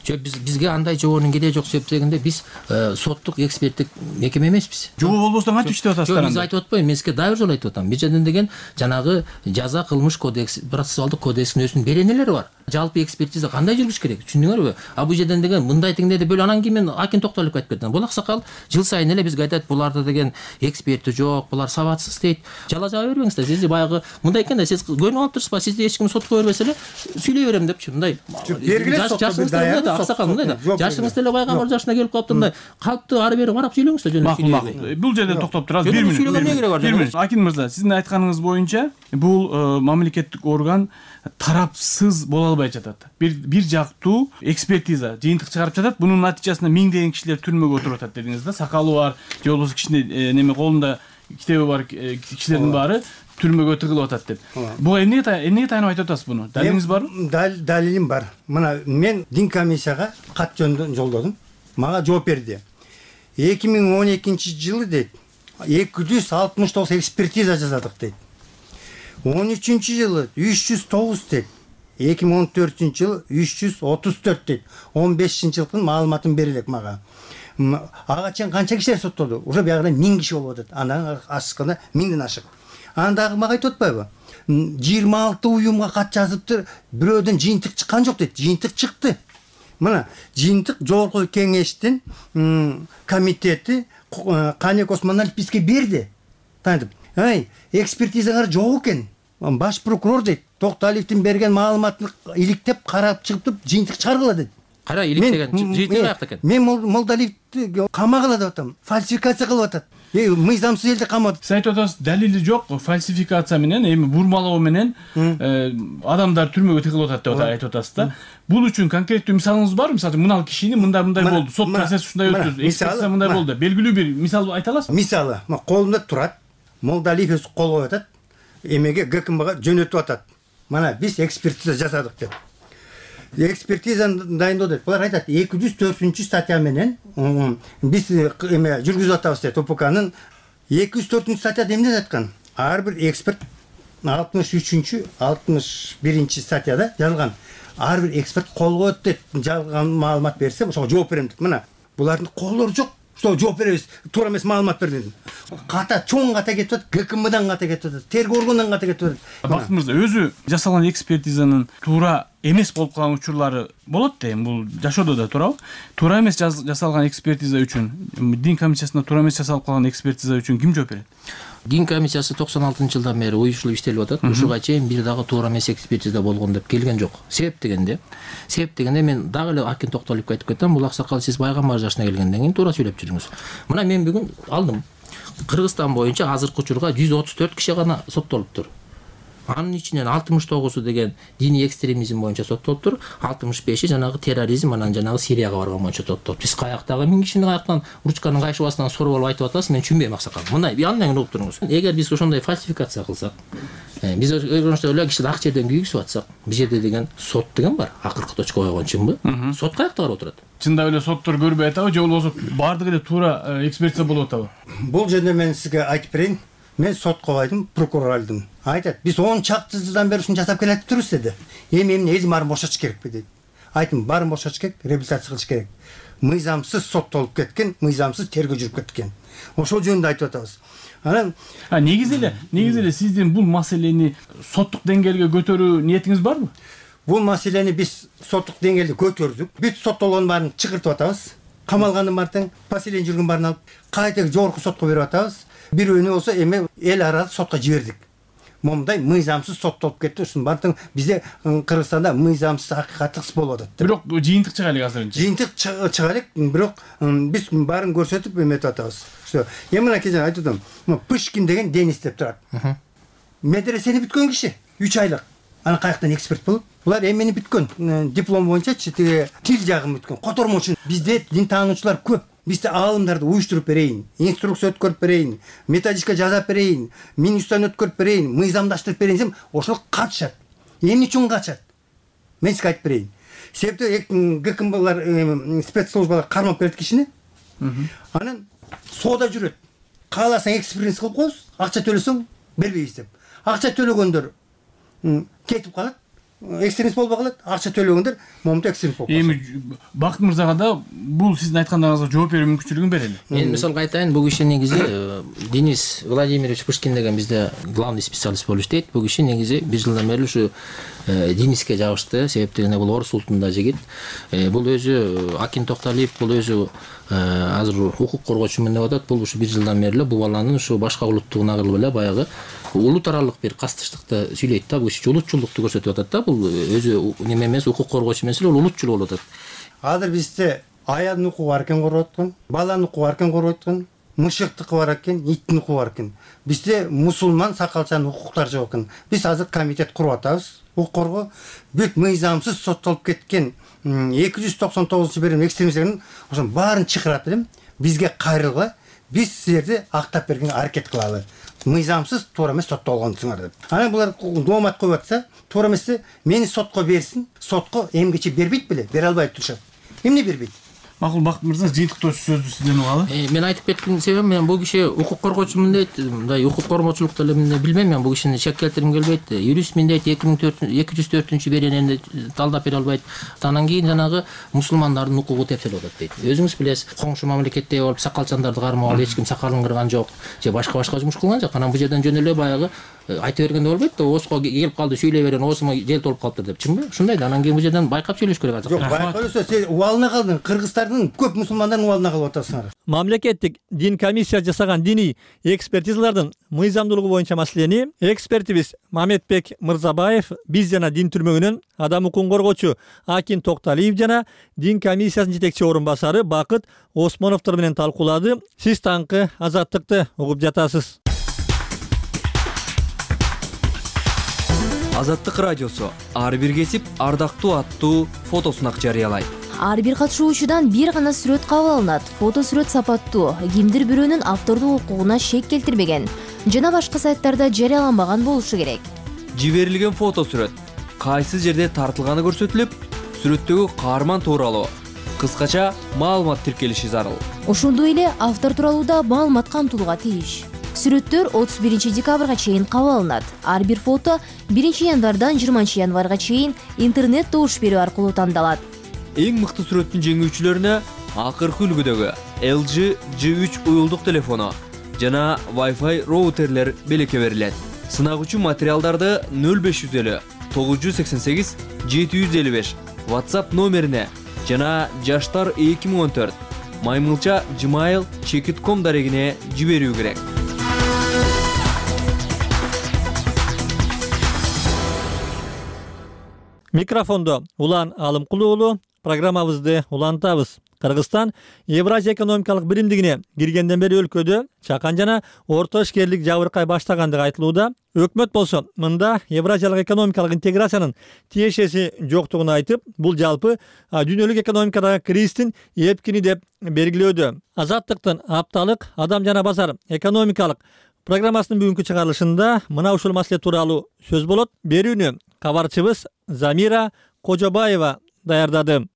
Жок, бизге андай жобонун кереги жок себеп дегенде биз соттук эксперттик мекеме эмеспиз. Жобо болбосо кантип иштеп атасыздар? Биз айтып атпайбы, мен сизге дагы бир жолу айтып атам. Биз жерден деген жанагы жаза кылмыш кодекс, процессуалдык кодекстин өзүнүн беренелери бар. Жалпы экспертиза кандай жүрүш керек? Түшүндүңөрбү? А бул жерден деген мындай теңдеди бөлө, анан кийин мен Акин Токталиевке айтып кеттим. Бул аксакал жыл сайын эле бизге айтат, буларда деген эксперти жок, булар сабатсыз дейт. Жала жаба бербеңиздер. Сиз баягы мындай экен да, сиз көрүнүп алып турсузбу? Сизди эч ким сотко бербесе эле сүйлөй берем депчи. Мындай. Жашыңыз да аксакал мындай да. Жашыңыз деле пайгамбар жашына келип калыптыр, мындай калпты ары бери карап сүйлөңүздөр жөнүндө. Макул. Бул жерде токтоп турабыз. 1 мүнөт. Акин мырза, сиздин айтканыңыз боюнча бул мамлекеттик орган тарапсыз боло албай жатат. Бир жактуу экспертиза жыйынтык чыгарып жатат. Бунун натыйжасында миңдеген кишилер түрмөгө отуруп атат дедиңиз да. Сакалы бар, же болбосо кичине неме колунда китеби бар кишилердин баары түрмөгө тыгылып атат деп. Буга эмнеге таянып айтып атасыз буну? Далилиңиз барбы? Далилим бар. Мына мен дин комиссияга кат жөнүндө жолдодум. Мага жооп берди. 2012-жылы дейт 269 экспертиза жасадык дейт. 13-жылы 309 дейт. 2014-жылы 334 дейт. 15-жылдын маалыматын берилек мага. Ага чейин канча кишилер соттолду? Уже биягында 1000 киши болуп атат. Андан ашыкканда 1000ден ашык. Андагы мага айтып атпайбы? 26 уюмга кат жазыптыр, бирөөдөн жыйынтык чыккан жок дейт. Жыйынтык чыкты. Мына жыйынтык жогорку кеңештин комитети Канек Осмоналиев бизге берди. Тантип, экспертизаңар жок экен. Баш прокурор дейт, Токталиевдин берген маалыматын иликтеп карап чыгып жыйынтык чыгаргыла дейт. Кара иликтеген жыйынтык каякта экен? Мен Молдалиевди камагыла деп атам. Фальсификация кылып атат. Мыйзамсыз элди камады. Сиз айтып атасыз, далили жок, фальсификация менен, эми бурмалоо менен адамдар түрмөгө тыгылып атат деп айтып атасыз да. Бул үчүн конкреттүү мисалыңыз барбы? Мисалы мына кишини мындай болду, сот процесси ушундай өттү, экспертиза мындай болду. Белгилүү бир мисал айта аласызбы? Мисалы, колунда турат. Молдалиев өз кол коюп атат. Эмеге ГКМБга жөнөтүп атат. Мына биз экспертиза жасадык деп. Экспертизаны дайындоодо булар айтат 204-статья менен биз эме жүргүзүп атабыз дейт. УПКнын 204-статьяда эмне айткан? Ар бир эксперт 63-61 статьяда жазылган. Ар бир эксперт кол коет дейт. Жалган маалымат берсе, ошого жооп берем дейт. Мына булардын колдору жок. Что жооп беребиз, туура эмес маалымат бердим. Ката чоң ката кетип атат, ГКМдан ката кетип атат, тергөө органынан ката кетип атат. Бакыт мырза, өзү жасалган экспертизанын туура эмес болуп калган учурлары болот да, бул жашоодо да туурабы? Туура эмес жасалган экспертиза үчүн, дин комиссиясында туура эмес жасалып калган экспертиза үчүн ким жооп берет? Дин комиссиясы 96-жылдан бери уюшулуп иштелип атат. Ушуга чейин бир дагы туура эмес экспертиза болгон деп келген жок. Себеп дегенде мен дагы эле Акин Токталиевке айтып кеттим, бул аксакал сиз пайгамбар жашына келгенден кийин туура сүйлөп жүрүңүз. Мына мен бүгүн алдым. Кыргызстан боюнча азыркы учурга 134 киши гана соттолуптур. Анын ичинен 69 деген диний экстремизм боюнча соттолуптур, 65 жанагы терроризм анан жанагы Сирияга барган боюнча соттолуптур. Биз каяктагы 1000 кишини каяктан ручканын кайшыбасынан соруп алып айтып атасыз, мен түшүнбөйм аксакал. Мындай андан угуп туруңуз. Эгер биз ошондой фальсификация кылсак, биз эле киши ак жерден күйгүзүп атсак, бул жерде деген сот деген бар. Акыркы точка койгон чынбы? Сот каякта карап отурат? Чындап эле соттор көрбөй атабы, же болбосо баардыгы эле туура экспертиза болуп атабы? Бул жөнүндө мен сизге айтып берейин. Мен сотко койдум, прокурор алдым. Айтат, биз 10 чакты жылдан бери ушуну жасап келатып турбуз деди. Эми элдин баарын бошотуш керекпи дейт. Айттым, баарын бошотуш керек, реабилитация кылыш керек. Мыйзамсыз соттолуп кеткен, мыйзамсыз тергөө жүрүп кеткен. Ошол жөнүндө айтып атабыз. Анан негизи эле сиздин бул маселени соттук деңгээлге көтөрүү ниетиңиз барбы? Бул маселени биз соттук деңгээлде көтөрдүк. Бүт соттолгон баарын чыгыртып атабыз. Камалгандын баарын, поселение жүргөн баарын алып, кайта жогорку сотко берип атабыз. Бирөөнү болсо эми эл аралык сотко жибердик. Момундай мыйзамсыз соттолуп кетти. Ушунун баардыгы бизде Кыргызстанда мыйзамсыз акыйкаттык болуп атат. Бирок жыйынтык чыга элек азыр. Жыйынтык чыга элек, бирок биз баарын көрсөтүп эметип атабыз. Эми мына кечээ айтып атам. Пышкин деген Денис деп турат. Медресени бүткөн киши 3 айлык. Аны каяктан эксперт болуп? Булар эмени бүткөн? Диплом боюнчачы тил жагын бүткөн. Котормочу. Бизде дин таануучулар көп. Бизде аалымдарды уюштуруп берейин, инструкция өткөрүп берейин, методичка жазап берейин, минустан өткөрүп берейин, мыйзамдаштырып берейин десем, ошол качат. Эмне үчүн качат? Мен сизге айтып берейин. Себеби ГКМБлар спецслужбалар кармап берет кишини. Анан соода жүрөт. Кааласаң экспириенс кылып коесуз, акча төлөсөң бербейбиз деп. Акча төлөгөндөр кетип калат. Экстремист болбой калат, акча төлөгөндөр момунда экстремист болуп калат. Эми Бакыт мырзага да бул сиздин айткандарыңызга жооп берүү мүмкүнчүлүгүн берели. Мен мисалга айтайын, бул киши негизи Денис Владимирович Пышкин деген бизде главный специалист болуп иштейт. Бул киши негизи 1 жылдан бери ушу Дениске жабышты. Себептен бул орус улутунда жигит. Бул өзү Акин Токталиев, бул өзү азыр укук коргоочумун деп атат. Бул ушу 1 жылдан бери бул баланын ушу башка улуттугуна кылып эле баягы улут аралык бир кастыштыкты сүйлөйт да. Бул киши улутчулдукту көрсөтүп атат да. Бул өзү неме эмес, укук коргоочу эмес эле, ол улутчул болуп атат. Азыр бизде аялдын укугу бар экен коргоп аткан, баланын укугу бар экен коргоп аткан, мышыктыкы бар экен, иттин укугу бар экен. Бизде мусулман сакалчанын укуктары жок экен. Биз азыр комитет куруп атабыз. Укук коргоо бүт мыйзамсыз соттолуп кеткен 299-берим экстремисттердин ошонун баарын чакырат элем. Бизге кайрылгыла, биз силерди актап бергенге аракет кылалы. Мыйзамсыз туура эмес соттолгонсуңар деп. Анан булар доомат коюп атса, туура эмес, мени сотко берсин. Сотко эмгичи бербейт беле, бере албайт турушат. Эмне бербейт? Макул, Бакыт мырза, жыйынтыктоочу сөздү сизден угалы. Мен айтып кеткеним себебим, мен бул киши укук коргоочумун дейт, мындай укук кормочулукту эле билбейм, мен бул кишини шек келтиргим келбейт. Юристмин дейт, 204-беренени талдап бере албайт. Анан кийин жанагы мусулмандардын укугу тепселип атат дейт. Өзүңүз билесиз, коңшу мамлекетте болуп сакалчандарды кармап алып, эч ким сакалын кырган жок, же башка жумуш кылган жок. Анан бул жерден жөн эле баягы айтып бергенде болбойт да, оско келип калды, сүйлөй берген, осума жел толуп калыптыр деп, чынбы? Ушундай да, анан кийин бул жерден байкап сүйлөш керек азыр. Жок, байкап эле сен убалына калдың, кыргыздардын көп мусулмандардын убалына калып атасыңар. Мамлекеттик дин комиссия жасаган диний экспертизалардын мыйзамдуулугу боюнча маселени экспертибиз Мамедбек Мырзабаев, биз жана дин түрмөгүнөн адам укугун коргоочу Акин Токталиев жана дин комиссиясынын жетекчи орун басары Бакыт Осмоновдор менен талкуулады. Сиз таңкы Азаттыкты угуп жатасыз. Азаттык радиосу ар бир кесип ардактуу аттуу фотосунак жарыялайт. Ар бир катышуучудан бир гана сүрөт кабыл алынат. Фото сүрөт сапаттуу, кимдир бирөөнүн автордук укугуна шек келтирбеген жана башка сайттарда жарыяланбаган болушу керек. Жиберилген фото сүрөт кайсы жерде тартылганы көрсөтүлүп, сүрөттөгү каарман тууралуу кыскача маалымат тиркелиши зарыл. Ошондой эле автор тууралуу да маалымат камтылууга тийиш. Сүрөттөр 31 декабрга чейин кабыл алынат. Ар бир фото 1 январдан 20 январга чейин интернет добуш берүү аркылуу тандалат. Эң мыкты сүрөттүн жеңүүчүлөрүнө акыркы үлгүдөгү LG G3 уюлдук телефону жана Wi-Fi роутерлер белекке берилет. Сынагучу материалдарды 0550 988 755 WhatsApp номерине жана жаштар 2014 maymilcha@gmail.com дарегине жиберүү керек. Микрофондо Улан Алымкулуу, программабызды улантабыз. Кыргызстан Евразия экономикалык биримдигине киргенден бери өлкөдө чакан жана орто ишкерлик жабыркай баштагандыгы айтылууда. Өкмөт болсо мында Евразиялык экономикалык интеграциянын тиешеси жоктугун айтып, бул жалпы дүйнөлүк экономикадагы кризистин эпкини деп белгилөөдө. Азаттыктын апталык адам жана базар экономикалык программасынын бүгүнкү чыгарылышында мына ушул маселе тууралуу сөз болот. Берүүнү кабарчыбыз Замира Кожобаева даярдады.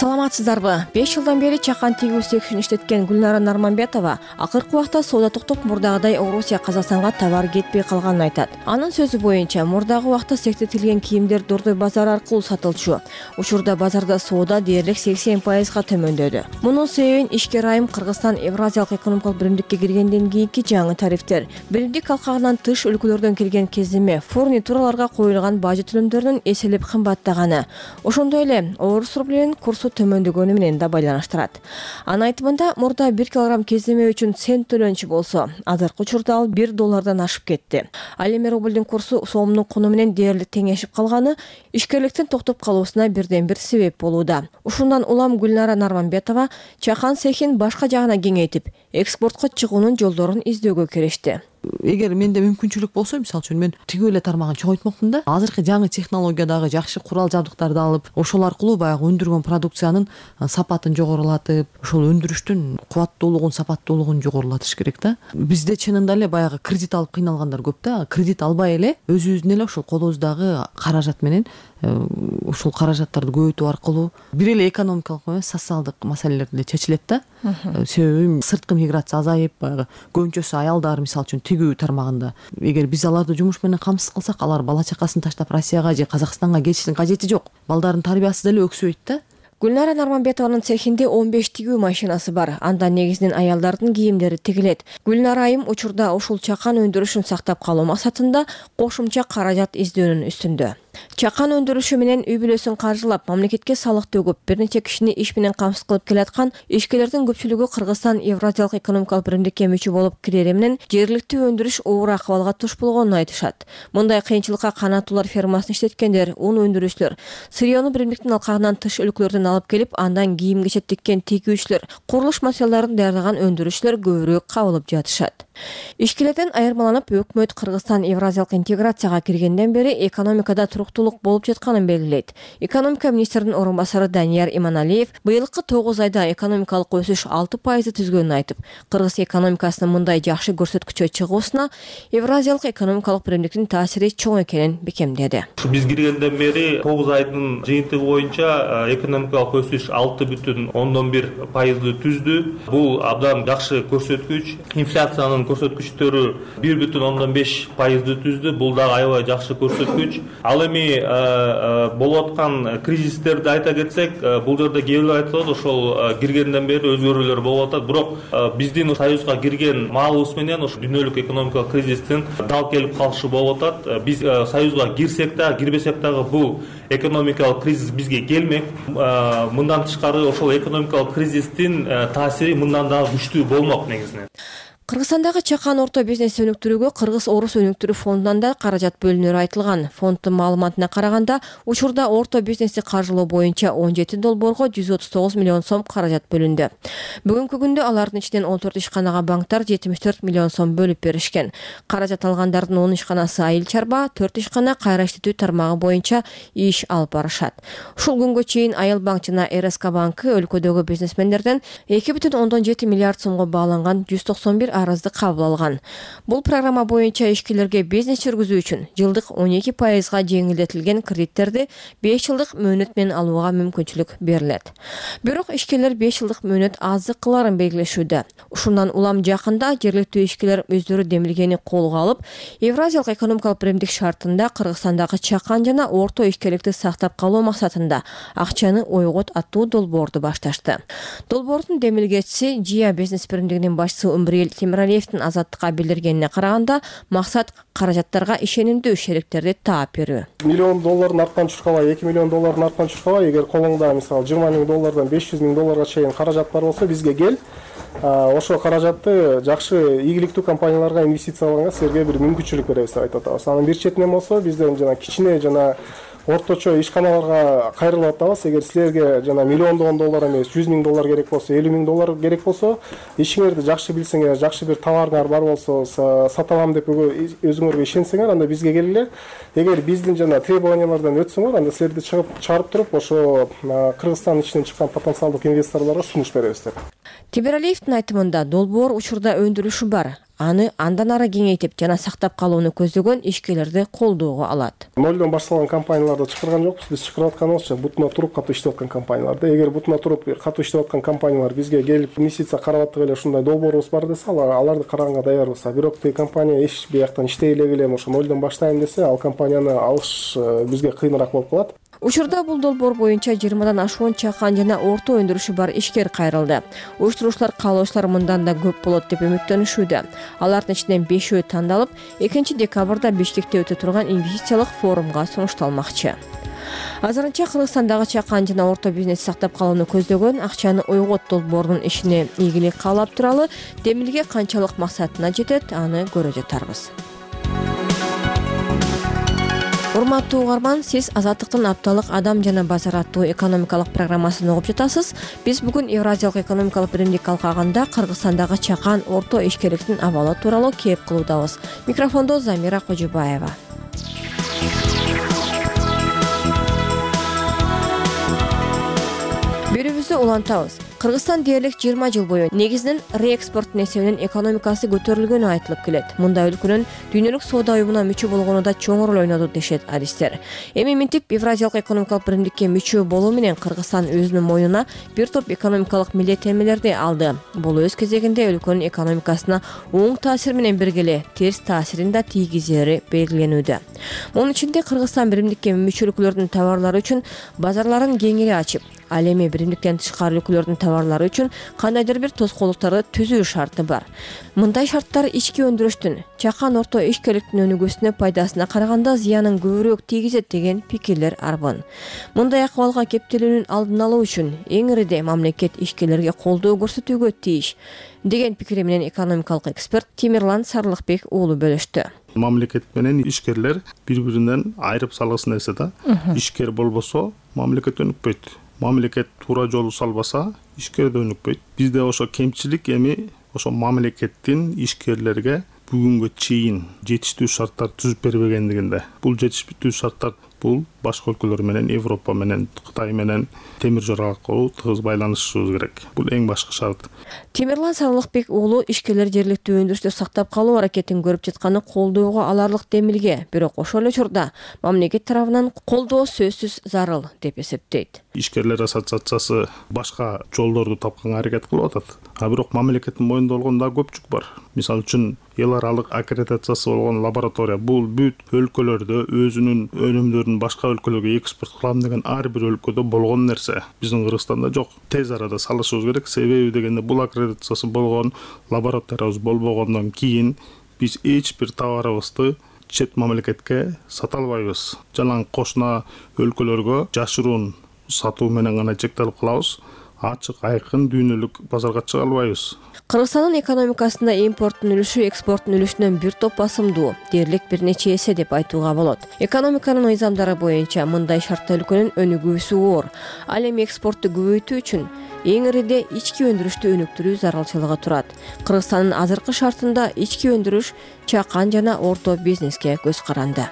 Саламатсыздарбы? 5 жылдан бери чакан тигүү цехин иштеткен Гүлнара Нарманбетова акыркы убакта соода токтоп, мурдагыдай Орусия, Казакстанга товар кетпей калганын айтат. Анын сөзү боюнча, мурдагы убакта цехте тилген кийимдер Дордой базар аркылуу сатылчу. Учурда базарда соода дээрлик 80% төмөндөдү. Мунун себебин ишкер айым Кыргызстан Евразиялык экономикалык биримдикке киргенден кийинки жаңы тарифтер, биримдик алкагынан тыш өлкөлөрдөн келген кездеме, фурнитураларга коюлган бажы төлөмдөрүнүн эселеп кымбаттаганы, ошондой эле орус рублинин курсу төмөндөгөнү менен да байланыштырат. Анын айтымында, мурда 1 килограмм кездеме үчүн цент төлөнчү болсо, азыркы учурда ал $1 ашып кетти. Ал эми рублдин курсу сомдун куну менен дээрлик теңешип калганы ишкерликтин токтоп калуусуна бирден бир себеп болууда. Ушундан улам Гүлнара Нарманбетова чакан цехин башка жагына кеңейтип, экспортко чыгуунун жолдорун издөөгө киришти. Эгер менде мүмкүнчүлүк болсо, мисалы үчүн мен тигүү эле тармагын чоңойтмокмун да. Азыркы жаңы технологиядагы жакшы курал жабдыктарды алып, ошол аркылуу баягы өндүргөн продукциянын сапатын жогорулатып, ошол өндүрүштүн кубаттуулугун, сапаттуулугун жогорулатыш керек да. Бизде чынында эле баягы кредит алып кыйналгандар көп да. Кредит албай эле өзүбүздүн эле ошол колубуздагы каражат менен ушул каражаттарды көбөйтүү аркылуу бир эле экономикалык эмес, социалдык маселелер деле чечилет да. Себеби сырткы миграция азайып, баягы көбүнчөсү аялдар, мисалы үчүн тигүү тармагында. Эгер биз аларды жумуш менен камсыз кылсак, алар бала чакасын таштап Россияга же Казакстанга кетиштин кажети жок. Балдардын тарбиясы деле өксөйт да. Гүлнара Нарманбетованын цехинде 15 тигүү машинасы бар. Анда негизинен аялдардын кийимдери тигилет. Гүлнара айым учурда ушул чакан өндүрүшүн сактап калуу максатында кошумча каражат издөөнүн үстүндө. Чакан өндүрүшү менен үй бүлөсүн каржылап, мамлекетке салык төгүп, бир нече кишини иш менен камсыз кылып келаткан ишкерлердин көпчүлүгү Кыргызстан Евразиялык экономикалык биримдикке мүчө болуп кирери менен жергиликтүү өндүрүш оор акыбалга туш болгонун айтышат. Мындай кыйынчылыкка канаттуулар фермасын иштеткендер, ун өндүрүүчүлөр, сырьёну биримдиктин алкагынан тыш өлкөлөрдөн алып келип, андан кийим кечет тиккен тигүүчүлөр, курулуш материалдарын даярдаган өндүрүүчүлөр көбүрөөк кабылып жатышат. Ишкерлерден айырмаланып, өкмөт Кыргызстан Евразиялык интеграцияга киргенден бери экономикада туруктуулук болуп жатканын белгилейт. Экономика министринин орун басары Данияр Иманалиев быйылкы 9 айда экономикалык өсүш 6% түзгөнүн айтып, кыргыз экономикасынын мындай жакшы көрсөткүчкө чыгуусуна Евразиялык экономикалык биримдиктин таасири чоң экенин бекемдеди. Биз киргенден бери 9 айдын жыйынтыгы боюнча экономикалык өсүш 6,1% түздү. Бул абдан жакшы көрсөткүч. Инфляциянын көрсөткүчтөрү 1,5% түздү. Бул дагы аябай жакшы көрсөткүч. Ал эми болуп аткан кризистерди айта кетсек, бул жерде кээ бирлер айтып атат, ошол киргенден бери өзгөрүүлөр болуп атат. Бирок биздин союзга кирген маалыбыз менен ошо дүйнөлүк экономикалык кризистин дал келип калышы болуп атат. Биз союзга кирсек да, кирбесек дагы бул экономикалык кризис бизге келмек. Мындан тышкары ошол экономикалык кризистин таасири мындан дагы күчтүү болмок негизинен. Кыргызстандагы чакан орто бизнес өнүктүрүүгө Кыргыз-Орус өнүктүрүү фондунан да каражат бөлүнөрү айтылган. Фонддун маалыматына караганда, учурда орто бизнести каржылоо боюнча $17 139 миллион сом каражат бөлүндү. Бүгүнкү күндө алардын ичинен 14 ишканага банктар 74 миллион сом бөлүп беришкен. Каражат алгандардын 10 ишканасы айыл чарба, 4 ишкана кайра иштетүү тармагы боюнча иш алып барышат. Ушул күнгө чейин Айыл банк жана РСК банкы өлкөдөгү бизнесмендерден 2,7 миллиард сомго бааланган 191 арызды кабыл алган. Бул программа боюнча ишкерлерге бизнес жүргүзүү үчүн жылдык 12%га жеңилдетилген кредиттерди 5 жылдык мөөнөт менен алууга мүмкүнчүлүк берилет. Бирок ишкерлер 5 жылдык мөөнөт аздык кыларын белгилешүүдө. Ушундан улам жакында жергиликтүү ишкерлер өздөрү демилгени колго алып, Евразиялык экономикалык биримдик шартында Кыргызстандагы чакан жана орто ишкерликти сактап калуу максатында акчаны ойгот аттуу долбоорду башташты. Долбоордун демилгечиси Жия бизнес биримдигинин башчысы Умбриел Темиралиевдин Азаттыкка билдиргенине караганда, максат каражаттарга ишенимдүү шериктерди таап берүү. $1 миллион арткан чуркабай, $2 миллион арткан чуркабай, эгер колуңда мисалы $20 миң $500 миң чейин каражат бар болсо, бизге кел. Ошо каражатты жакшы ийгиликтүү компанияларга инвестициялаганга силерге бир мүмкүнчүлүк беребиз деп айтып атабыз. Анын бир четинен болсо, бизден жана кичине жана орточо ишканаларга кайрылып атабыз. Эгер силерге жана миллиондогон доллар эмес, 100 000 доллар керек болсо, 50 000 доллар керек болсо, ишиңерди жакшы билсеңер, жакшы бир товарыңар бар болсо, сата алам деп өзүңөргө ишенсеңер, анда бизге келгиле. Эгер биздин жана требованиялардан өтсөңөр, анда силерди чыгарып туруп, ошо Кыргызстандын ичинен чыккан потенциалдык инвесторлорго сунуш беребиз деп. Темиралиевдин айтымында долбоор учурда өндүрүшү бар. Аны андан ары кеңейтип жана сактап калууну көздөгөн ишкерлерди колдоого алат. Нолдон башталган компанияларды чакырган жокпуз. Биз чакырып атканыбызча бутуна туруп катуу иштеп аткан компанияларды. Эгер бутуна туруп катуу иштеп аткан компаниялар бизге келип инвестиция карап аттык эле ушундай долбоорубуз бар десе, аларды караганга даярбыз. Бирок тиги компания эч бияктан иштей эле келем, ошо нолдон баштайм десе, ал компанияны алыш бизге кыйыныраак болуп калат. Учурда бул долбоор боюнча 20дан ашуун чакан жана орто өндүрүшү бар ишкер кайрылды. Уюштуруучулар каалоочулар мындан да көп болот деп үмүттөнүшүүдө. Алардын ичинен 5-өө тандалып, 2-декабрда Бишкекте өтө турган инвестициялык форумга сунушталмакчы. Азырынча Кыргызстандагы чакан жана орто бизнес сактап калууну көздөгөн акчаны ойгот долбоорунун ишине ийгилик каалап туралы Демилге канчалык максатына жетет, аны көрө жатарбыз. Урматтуу угарман, сиз Азаттыктын апталык адам жана базар аттуу экономикалык программасын угуп жатасыз. Биз бүгүн Евразиялык экономикалык биримдик алкагында Кыргызстандагы чакан орто ишкерликтин абалы тууралуу кеп кылуудабыз. Микрофондо Замира Кожубаева. Берүүбүздү улантабыз. Кыргызстан дээрлик 20 жыл бою негизинен реэкспорттун эсебинен экономикасы көтөрүлгөнү айтылып келет. Мында өлкөнүн дүйнөлүк соода уюмуна мүчө болгону да чоң роль ойноду дешет адистер. Эми минтип Евразиялык экономикалык биримдикке мүчө болуу менен Кыргызстан өзүнүн мойнуна бир топ экономикалык милдеттенмелерди алды. Бул өз кезегинде өлкөнүн экономикасына оң таасир менен бирге эле терс таасирин да тийгизери белгиленүүдө. Мунун ичинде Кыргызстан биримдикке мүчө өлкөлөрдүн товарлары үчүн базарларын кеңири ачып, ал эми биримдиктен тышкары өлкөлөрдүн товарлары үчүн кандайдыр бир тоскоолдуктарды түзүү шарты бар. Мындай шарттар ички өндүрүштүн, чакан орто ишкерликтин өнүгүүсүнө пайдасына караганда зыянын көбүрөөк тийгизет деген пикирлер арбын. Мындай акыбалга кептелүүнүн алдын алуу үчүн эң ириде мамлекет ишкерлерге колдоо көрсөтүүгө тийиш деген пикири менен экономикалык эксперт Темирлан Сарлыкбек уулу бөлүштү. Мамлекет менен ишкерлер бири-биринен айырып салгысың эсе да. Ишкер болбосо мамлекет өнүкпөйт. Мамлекет туура жолу салбаса, ишкер да өнүкпөйт. Бизде ошо кемчилик эми ошо мамлекеттин ишкерлерге бүгүнгө чейин жетиштүү шарттар түзүп бербегендигинде. Бул жетиштүү шарттар бул башка өлкөлөр менен, Европа менен, Кытай менен темир жол аркылуу тыгыз байланышыбыз керек. Бул эң башкы шарт. Темирлан Сарлыкбек уулу ишкерлер жергиликтүү өндүрүштү сактап калуу аракетин көрүп жатканы колдоого аларлык Демилге, бирок ошол эле учурда мамлекет тарабынан колдоо сөзсүз зарыл деп эсептейт. Ишкерлер ассоциациясы башка жолдорду тапканга аракет кылып атат. Бирок мамлекеттин мойнунда болгон да көпчүк бар. Мисалы үчүн эл аралык аккредитациясы болгон лаборатория бул бүт өлкөлөрдө өзүнүн өнүмдөрүн башка өлкөлөргө экспорт кылам деген ар бир өлкөдө болгон нерсе. Биздин Кыргызстанда жок. Тез арада салышыбыз керек. Себеби дегенде бул аккредитациясы болгон лабораториябыз болбогондон кийин биз эч бир товарыбызды чет мамлекетке сата албайбыз. Жалаң кошуна өлкөлөргө жашыруун сатуу менен гана чектелип калабыз. Ачык, айкын дүйнөлүк базарга чыга албайбыз. Кыргызстандын экономикасында импорттун үлүшү экспорттун үлүшүнөн бир топ басымдуу, дээрлик бир нече эсе деп айтууга болот. Экономиканын мыйзамдары боюнча мындай шартта өлкөнүн өнүгүүсү оор. Ал эми экспортту көбөйтүү үчүн эң ириде ички өндүрүштү өнүктүрүү зарылчылыгы турат. Кыргызстандын азыркы шартында ички өндүрүш чакан жана орто бизнеске көз каранды.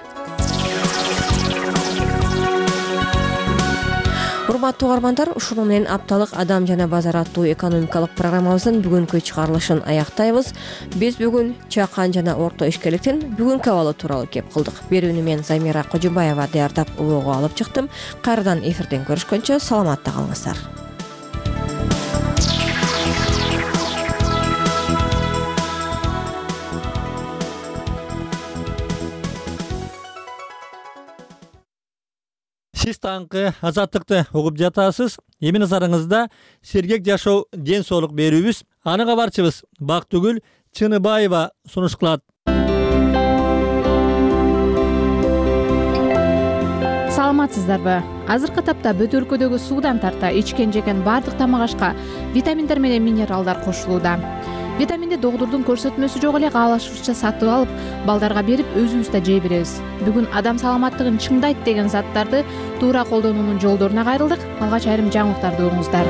Урматтуу угармандар, ушуну менен апталык адам жана базар аттуу экономикалык программабыздын бүгүнкү чыгарылышын аяктайбыз. Биз бүгүн чакан жана орто ишкерликтин бүгүнкү абалы тууралуу кеп кылдык. Берүүнү мен Замира Кожубаева даярдап улоого алып чыктым. Кайрадан эфирден көрүшкөнчө саламатта калыңыздар. Сиз таңкы Азаттыкты угуп жатасыз. Эми назарыңызда сергек жашоо ден соолук берүүбүз. Аны кабарчыбыз Бактыгүл Чыныбаева сунуш кылат. Саламатсыздарбы? Азыркы тапта бүт өлкөдөгү суудан тарта ичкен жеген баардык тамак ашка витаминдер менен минералдар кошулууда. Витаминди доктурдун көрсөтмөсү жок эле каалашыбызча сатып алып, балдарга берип, өзүбүз да жей беребиз. Бүгүн адам саламаттыгын чыңдайт деген заттарды туура колдонуунун жолдоруна кайрылдык. Алгач айрым жаңылыктарды угуңуздар.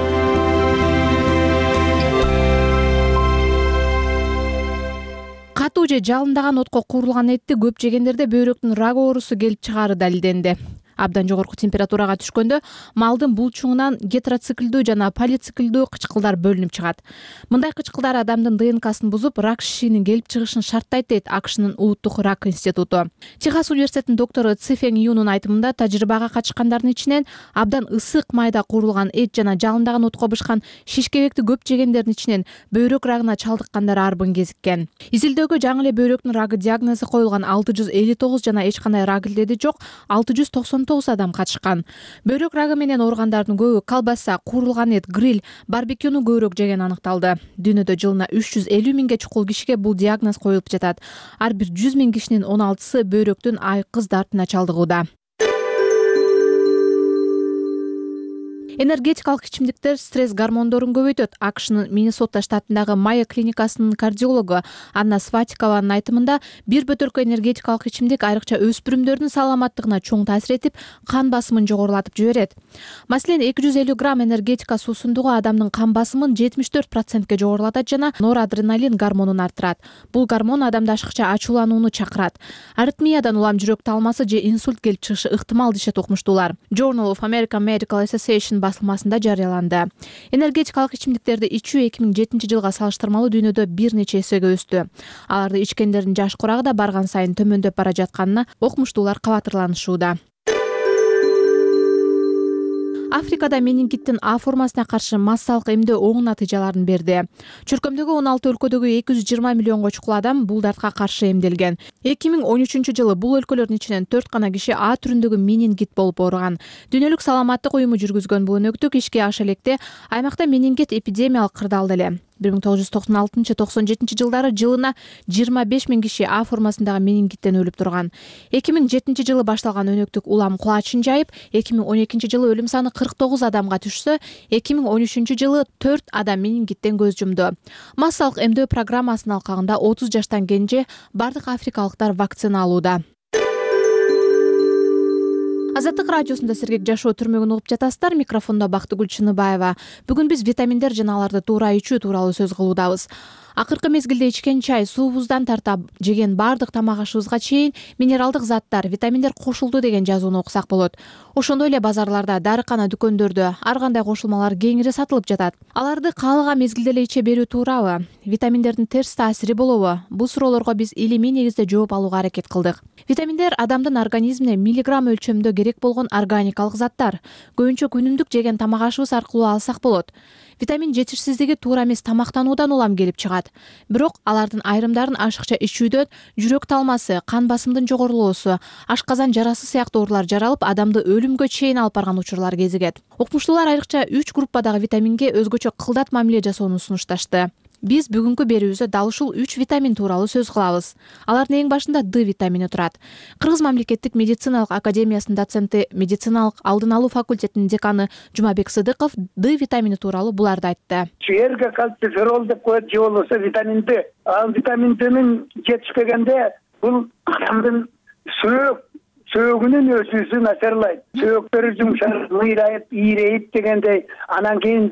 Катуу же жалындаган отко куурулган этти көп жегендерде бөйрөктүн рак оорусу келип чыгаары далилденди. Абдан жогорку температурага түшкөндө малдын булчуңунан гетероциклдүү жана полициклдүү кычкылдар бөлүнүп чыгат. Мындай кычкылдар адамдын ДНКсын бузуп, рак шишигинин келип чыгышын шарттайт дейт АКШнын улуттук рак институту. Техас университетинин доктору Цифен Юнун айтымында, тажрыйбага катышкандардын ичинен абдан ысык майда куурулган эт жана жалындаган отко бышкан шишкебекти көп жегендердин ичинен бөйрөк рагына чалдыккандар арбын кезиккен. Изилдөөгө жаңы эле бөйрөктүн рагы диагнозу коюлган 659 жана эч кандай рак илдеди жок 699 адам катышкан. Бөйрөк рагы менен ооругандардын көбү колбаса, куурулган эт, гриль, барбекюну көбүрөөк жеген аныкталды. Дүйнөдө жылына 350 миңге чукул кишиге бул диагноз коюлуп жатат. Ар бир 100 миң кишинин 16сы бөйрөктүн айкыз дартына чалдыгууда. Энергетикалык ичимдиктер стресс гормондорун көбөйтөт. АКШнын Миннесота штатындагы Майо клиникасынын кардиологу Анна Сватикованын айтымында, бир бөтөлкө энергетикалык ичимдик айрыкча өспүрүмдөрдүн саламаттыгына чоң таасир этип, кан басымын жогорулатып жиберет. Маселен, 250 грамм энергетика суусундугу адамдын кан басымын 74%ге жогорулатат жана норадреналин гормонун арттырат. Бул гормон адамды ашыкча ачууланууну чакырат. Аритмиядан улам жүрөк талмасы же инсульт келип чыгышы ыктымал дешет окумуштуулар. Journal of American Medical Association басылмасында жарыяланды. Энергетикалык ичимдиктерди ичүү 2007 жылга салыштырмалуу дүйнөдө бир нече эсеге өстү. Аларды ичкендердин жаш курагы да барган сайын төмөндөп бара жатканына окумуштуулар кабатырланышууда. Африкада менингиттин А формасына каршы массалык эмдөө оң натыйжаларын берди. Чөркөмдөгү 16 өлкөдөгү 220 миллионго чукул адам бул дартка каршы эмделген. 2013 жылы бул өлкөлөрдүн ичинен 4 гана киши А түрүндөгү менингит болуп ооруган. Дүйнөлүк саламаттык уюму жүргүзгөн бул өнөктүк ишке аша электе аймакта менингит эпидемиялык кырдаалда эле. 1996-97 жылдары жылына 25 миң киши А формасындагы менингиттен өлүп турган. 2007 жылы башталган өнөктүк улам кулачын жайып, 2012 жылы өлүм саны 49 адамга түшсө, 2013 жылы 4 адам менингиттен көз жумду. Массалык эмдөө программасынын алкагында 30 жаштан кенже бардык африкалыктар вакцина алууда. Азаттык радиосунда сергек жашоо түрмөгүн угуп жатасыздар. Микрофондо Бактыгүл Чыныбаева. Бүгүн биз витаминдер жана аларды туура ичүү тууралуу сөз кылуудабыз. Акыркы мезгилде ичкен чай, суубуздан тарта жеген бардык тамак ашыбызга чейин минералдык заттар, витаминдер кошулду деген жазууну окусак болот. Ошондой эле базарларда, дарыкана дүкөндөрдө ар кандай кошулмалар кеңири сатылып жатат. Аларды каалаган мезгилде эле иче берүү туурабы? Витаминдердин терс таасири болобу? Бул суроолорго биз илимий негизде жооп алууга аракет кылдык. Витаминдер адамдын организмине миллиграмм өлчөмүндө керек болгон органикалык заттар. Көбүнчө күнүмдүк жеген тамак ашыбыз аркылуу алсак болот. Витамин жетишсиздиги туура эмес тамактануудан улам келип чыгат. Бирок алардын айрымдарын ашыкча ичүүдөн жүрөк талмасы, кан басымдын жогорулоосу, ашказан жарасы сыяктуу оорулар жаралып, адамды өлүмгө чейин алып барган учурлар кезигет. Окумуштуулар айрыкча 3 группадагы витаминге өзгөчө кылдат мамиле жасоону сунушташты. Биз бүгүнкү берүүбүздө дал ушул 3 витамин тууралуу сөз кылабыз. Алардын эң башында Д витамини турат. Кыргыз мамлекеттик медициналык академиясынын доценти, медициналык алдын алуу факультетинин деканы Жумабек Сыдыков Д витамини тууралуу буларды айтты. Эрге кальций ферол деп коет, же болбосо витамин Д. Ал витамин Д'нин жетишпегенде бул адамдын сөөгүнүн өсүүсү начарлайт. Сөөктөрү жумшап, ыйрайып, ийрейип дегендей, анан кийин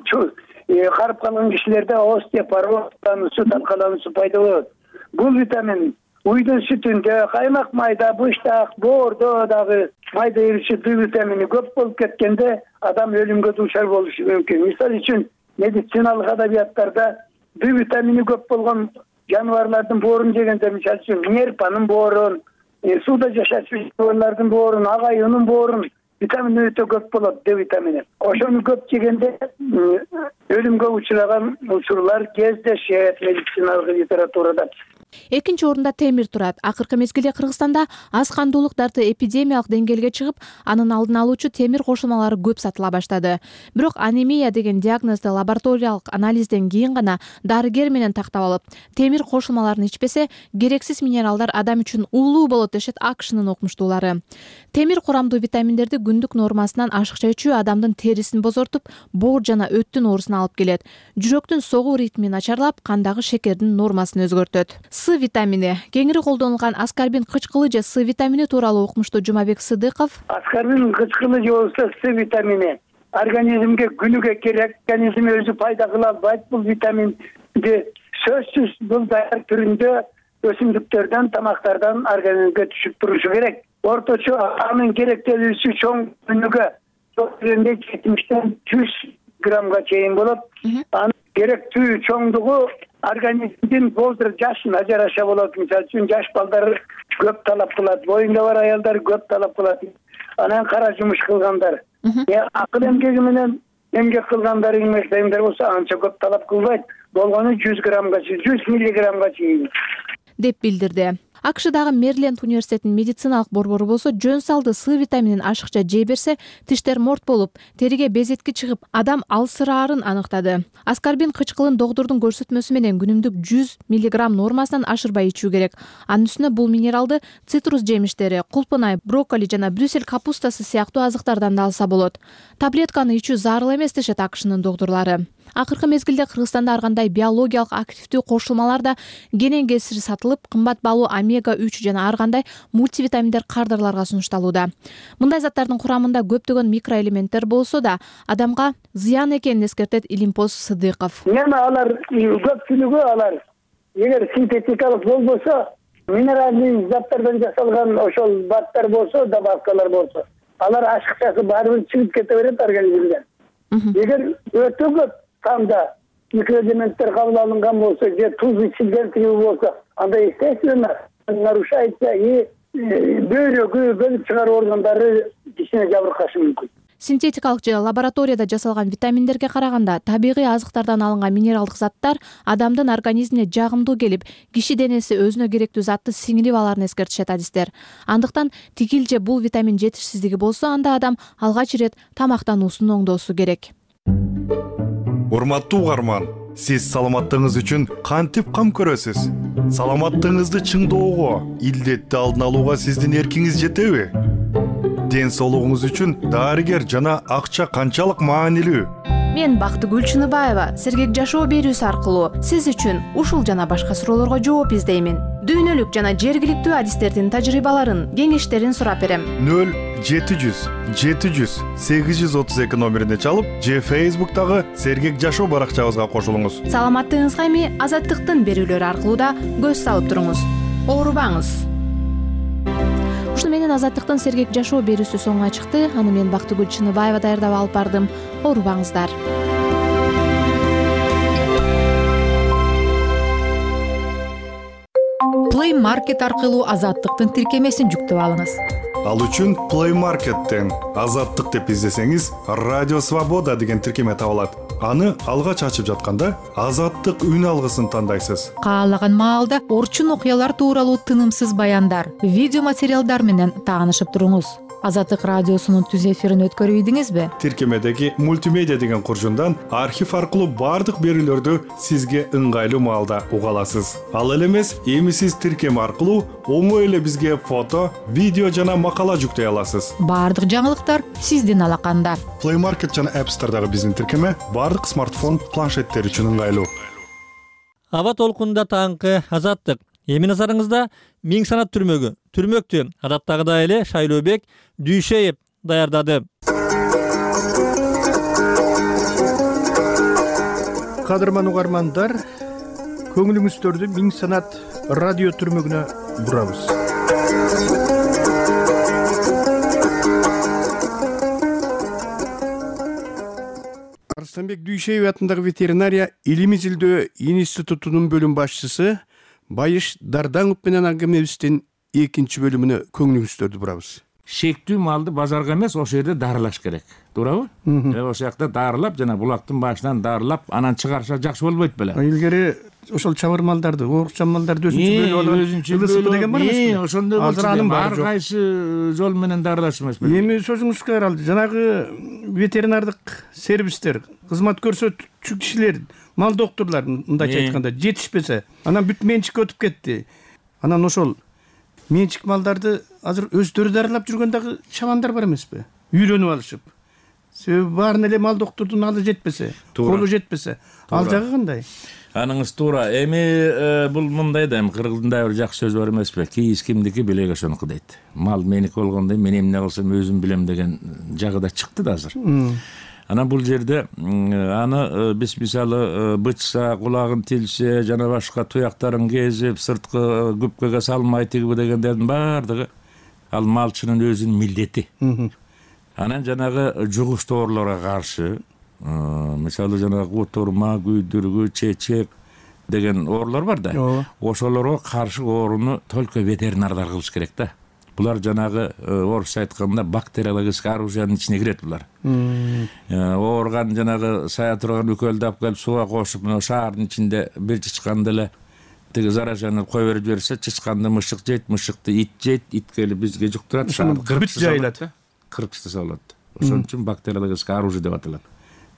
карып калган кишилерде остеопороз, сүт таркалануусу пайда болот. Бул витамин уйдун сүтүндө, каймак майда, быштак, боордо дагы майда эриши Д витамини көп болуп кеткенде адам өлүмгө дуушар болушу мүмкүн. Мисалы үчүн медициналык адабияттарда Д витамини көп болгон жаныбарлардын боорун жегенде, мисалы үчүн нерпанын боорун, сууда жашачу жаныбарлардын боорун, ак аюунун боорун витамин өтө көп болот, Д витамини. Ошону көп жегенде өлүмгө учураган учурлар кездешет медициналык литературада. Экинчи орунда темир турат. Акыркы мезгилде Кыргызстанда аз кандуулук дарты эпидемиялык деңгээлге чыгып, анын алдын алуучу темир кошулмалары көп сатыла баштады. Бирок анемия деген диагнозду лабораториялык анализден кийин гана дарыгер менен тактап алып, темир кошулмаларын ичпесе, керексиз минералдар адам үчүн уулуу болот дешет АКШнын окумуштуулары. Темир курамдуу витаминдерди күндүк нормасынан ашыкча ичүү адамдын терисин бозортуп, боор жана өттүн оорусуна алып келет. Жүрөктүн согуу ритмин начарлап, кандагы шекердин нормасын өзгөртөт. С витамини кеңири колдонулган аскарбин кычкылы же С витамини тууралуу укмуштуу Жумабек Сыдыков. Аскарбин кычкылы же болбосо С витамини организмге күнүгө керек, организм өзү пайда кыла албайт. Бул витаминди сөзсүз бул даяр түрүндө өсүмдүктөрдөн, тамактардан организмге түшүп турушу керек. Орточо анын керектелүүсү чоң күнүгө 70-тен 100 граммга чейин болот. Анын керектүү чоңдугу организмдин возраст жашына жараша болот. Мисалы үчүн жаш балдар көп талап кылат, боюнда бар аялдар көп талап кылат. Анан кара жумуш кылгандар, акыл эмгеги менен эмгек кылгандар, эмгектегендер болсо анча көп талап кылбайт. Болгону 100 граммга, 100 миллиграммга чейин деп билдирди. АКШдагы Мэриленд университетинин медициналык борбору болсо жөн салды С витаминин ашыкча жей берсе, тиштер морт болуп, териге безетки чыгып, адам алсыраарын аныктады. Аскарбин кычкылын доктурдун көрсөтмөсү менен күнүмдүк 100 миллиграмм нормасынан ашырбай ичүү керек. Анын үстүнө бул минералды цитрус жемиштери, кулпунай, брокколи жана брюссель капустасы сыяктуу азыктардан да алса болот. Таблетканы ичүү зарыл эмес дешет АКШнын доктурлары. Акыркы мезгилде Кыргызстанда ар кандай биологиялык активдүү кошулмалар да кенен кесир сатылып, кымбат баалуу омега-3 жана ар кандай мультивитаминдер кардарларга сунушталууда. Мындай заттардын курамында көптөгөн микроэлементтер болсо да, адамга зыян экенин эскертет Илимпоз Сыдыков. Алар көпчүлүгү алар эгер синтетикалык болбосо, минералдык заттардан жасалган ошол баттар болсо, добавкалар болсо, алар ашыкчасы баары бир чыгып кете берет организмден. Эгер өтө көп канда микроэлементтер кабыл алынган болсо же туз ичилген болсо, анда естественно нарушается и бөйрөгү, бөлүп чыгаруу органдары кишине жабыркашы мүмкүн. Синтетикалык же лабораторияда жасалган витаминдерге караганда табигый азыктардан алынган минералдык заттар адамдын организмине жагымдуу келип, киши денеси өзүнө керектүү затты сиңирип аларын эскертишет адистер. Андыктан тигил же бул витамин жетишсиздиги болсо, анда адам алгач ирет тамактануусун оңдоосу керек. Урматтуу угарман, сиз саламаттыгыңыз үчүн кантип кам көрөсүз? Саламаттыгыңызды чыңдоого, илдетти алдын алууга сиздин эркиңиз жетеби? Ден соолугуңуз үчүн дарыгер жана акча канчалык маанилүү? Мен Бактыгүл Чыныбаева Сергек жашоо берүүсү аркылуу сиз үчүн ушул жана башка суроолорго жооп издеймин. Дүйнөлүк жана жергиликтүү адистердин тажрыйбаларын, кеңештерин сурап берем. 0-700-832 номерине чалып, же Facebook'тагы Сергек жашоо баракчабызга кошулуңуз. Саламаттыгыңызга эми Азаттыктын берүүлөрү аркылуу да көз салып туруңуз. Оорубаңыз. Ушуну менен Азаттыктын Сергек жашоо берүүсү соңуна чыкты. Аны мен Бактыгүл Чыныбаева даярдап алып бардым. Оорубаңыздар. Play Market аркылуу Азаттыктын тиркемесин жүктөп алыңыз. Ал үчүн Play Market'тен Азаттык деп издесеңиз, Радио Свобода деген тиркеме табылат. Аны алгач ачып жатканда Азаттык үн алгысын тандайсыз. Каалаган маалда орчун окуялар тууралуу тынымсыз баяндар, видео материалдар менен таанышып туруңуз. Азаттык радиосунун түз эфирин өткөрүп ийдиңизби? Тиркемедеги мультимедиа деген куржундан архив аркылуу бардык берүүлөрдү сизге ыңгайлуу маалда уга аласыз. Ал эле эмес, эми сиз тиркеме аркылуу оңой эле бизге фото, видео жана макала жүктөй аласыз. Бардык жаңылыктар сиздин алаканда. Play Market жана App Store'дагы биздин тиркеме бардык смартфон, планшеттер үчүн ыңгайлуу. Аба толкунда таңкы Азаттык. Эми назарыңызда Миң санат түрмөктү адаттагыдай эле Шайлообек Дүйшеев даярдады. Кадырман угармандар, көңүлүңүздөрдү Миң санат радио түрмөгүнө бурабыз. Арыстанбек Дүйшеев атындагы ветеринария илимий изилдөө институтунун бөлүм башчысы Байыш Дардаңов менен аңгемебиздин экинчи бөлүмүнө көңүлүңүздөрдү бурабыз. шектүү малды базарга эмес ошол жерде дарылаш керек, туурабы? Ошол жакта дарылап, жана булактын башынан дарылап, анан чыгарса жакшы болбойт беле? Илгери ошол чабыр малдарды, оорукчан малдарды өзүнчө бөлүп алып, ылысып деген бар эмеспи? Ошондой болчу. Ар кайсы жол менен дарылаш эмес беле? Эми сөзүңүзгө каралды. Жанагы ветеринардык сервистер, кызмат көрсөтүүчү кишилер, мал доктурлар мындайча айтканда жетишпесе, анан бүт менчикке өтүп кетти. Анан ошол менчик малдарды азыр өздөрү дарылап жүргөн дагы чабандар бар эмеспи? Үйрөнүп алышып. Себеби баарын эле мал доктурдун алы жетпесе, колу жетпесе, ал жагы кандай? Аныңыз туура. Эми бул мындай да, кыргыздын да бир жакшы сөзү бар эмеспи? Кийиз кимдики, билек ошонуку дейт. Мал меники болгондой, мен эмне кылсам өзүм билем деген жагы да чыкты да азыр. Анан бул жерде аны биз мисалы бычса, кулагын тилсе, жана башка туяктарын кезип, сырткы күпкөгө салмай тигиби дегендердин баардыгы ал малчынын өзүнүн милдети. Анан жанагы жугуш ооруларга каршы, мисалы жанагы утурма, күйдүргү, чечек деген оорулар бар да. Ошолорго каршы ооруну только ветеринарлар кылыш керек да. Булар жанагы орусча айтканда бактериологический оружиянын ичине кирет булар. Оорган жанагы сая турган үкөлдү алып келип сууга кошуп, мына шаардын ичинде бир чычканды эле тиги заражаны кое берип жиберсе, чычканды мышык жейт, мышыкты ит жейт, ит келип бизге жуктурат, бүт жайылат. Кырпычты салат. Ошон үчүн бактериологический оружие деп аталат.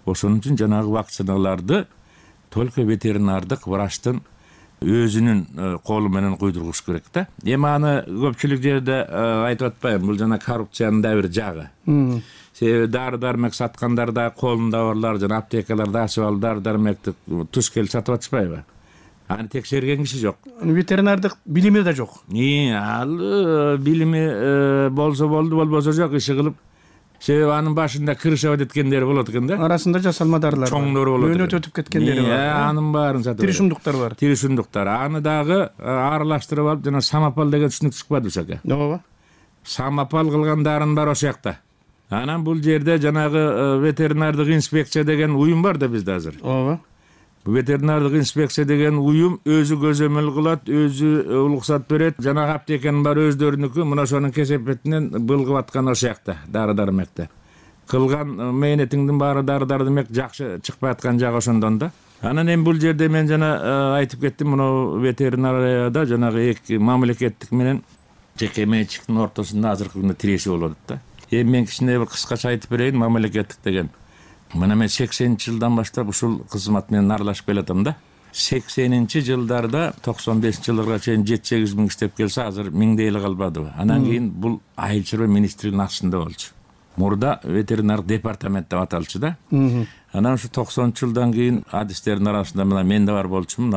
Ошон үчүн жанагы вакциналарды только ветеринардык врачтын өзүнүн колу менен куйдургуш керек да. Эми аны көпчүлүк жерде айтып атпайбы, бул жана коррупциянын да бир жагы. Себеби дары-дармек саткандар да колунда барлар, жана аптекаларда ачып алып дары-дармекти туш келип сатып атышпайбы? Аны текшерген киши жок. Ветеринардык билими да жок. Ал билими болсо болду, болбосо жок, иши кылып. Себеби анын башында крыша өткөндөрү болот экен да. Арасында жасалма дарылар бар. Чоңдору болот. Өнөт өтүп кеткендери бар. Анын баарын сатып. Тиришундуктар бар. Тиришундуктар. Аны дагы аралаштырып алып, жана самопал деген түшүнүк чыкпады ошоко. Ооба. Самопал кылган дарын бар ошол жакта. Анан бул жерде жанагы ветеринардык инспекция деген уюм бар да бизде азыр. Ооба. Ветеринардык инспекция деген уюм өзү көзөмөл кылат, өзү уруксат берет. Жанагы аптеканын баары өздөрүнүкү, мына ошонун кесепетинен былгып аткан ошол жакта, дары-дармекте. Кылган мээнетиңдин баары дары-дармек жакшы чыкпай аткан жагы ошондон да. Анан эми бул жерде мен жана айтып кеттим, мына ветеринарияда жанагы эки мамлекеттик менен жеке менчиктин ортосунда азыркы күндө тирешүү болуп атат да. Эми мен кичине бир кыскача айтып берейин, мамлекеттик деген. Мына мен 80-жылдан баштап ушул кызмат менен аралашып келатам да. 80-жылдарда 95-жылдарга чейин 7-8 миң иштеп келсе, азыр миңде эле калбадыбы. Анан кийин бул айыл чарба министрлигинин астында болчу. Мурда ветеринар департамент деп аталчу да. Анан ушу 90-жылдан кийин адистердин арасында мына мен да бар болчумун.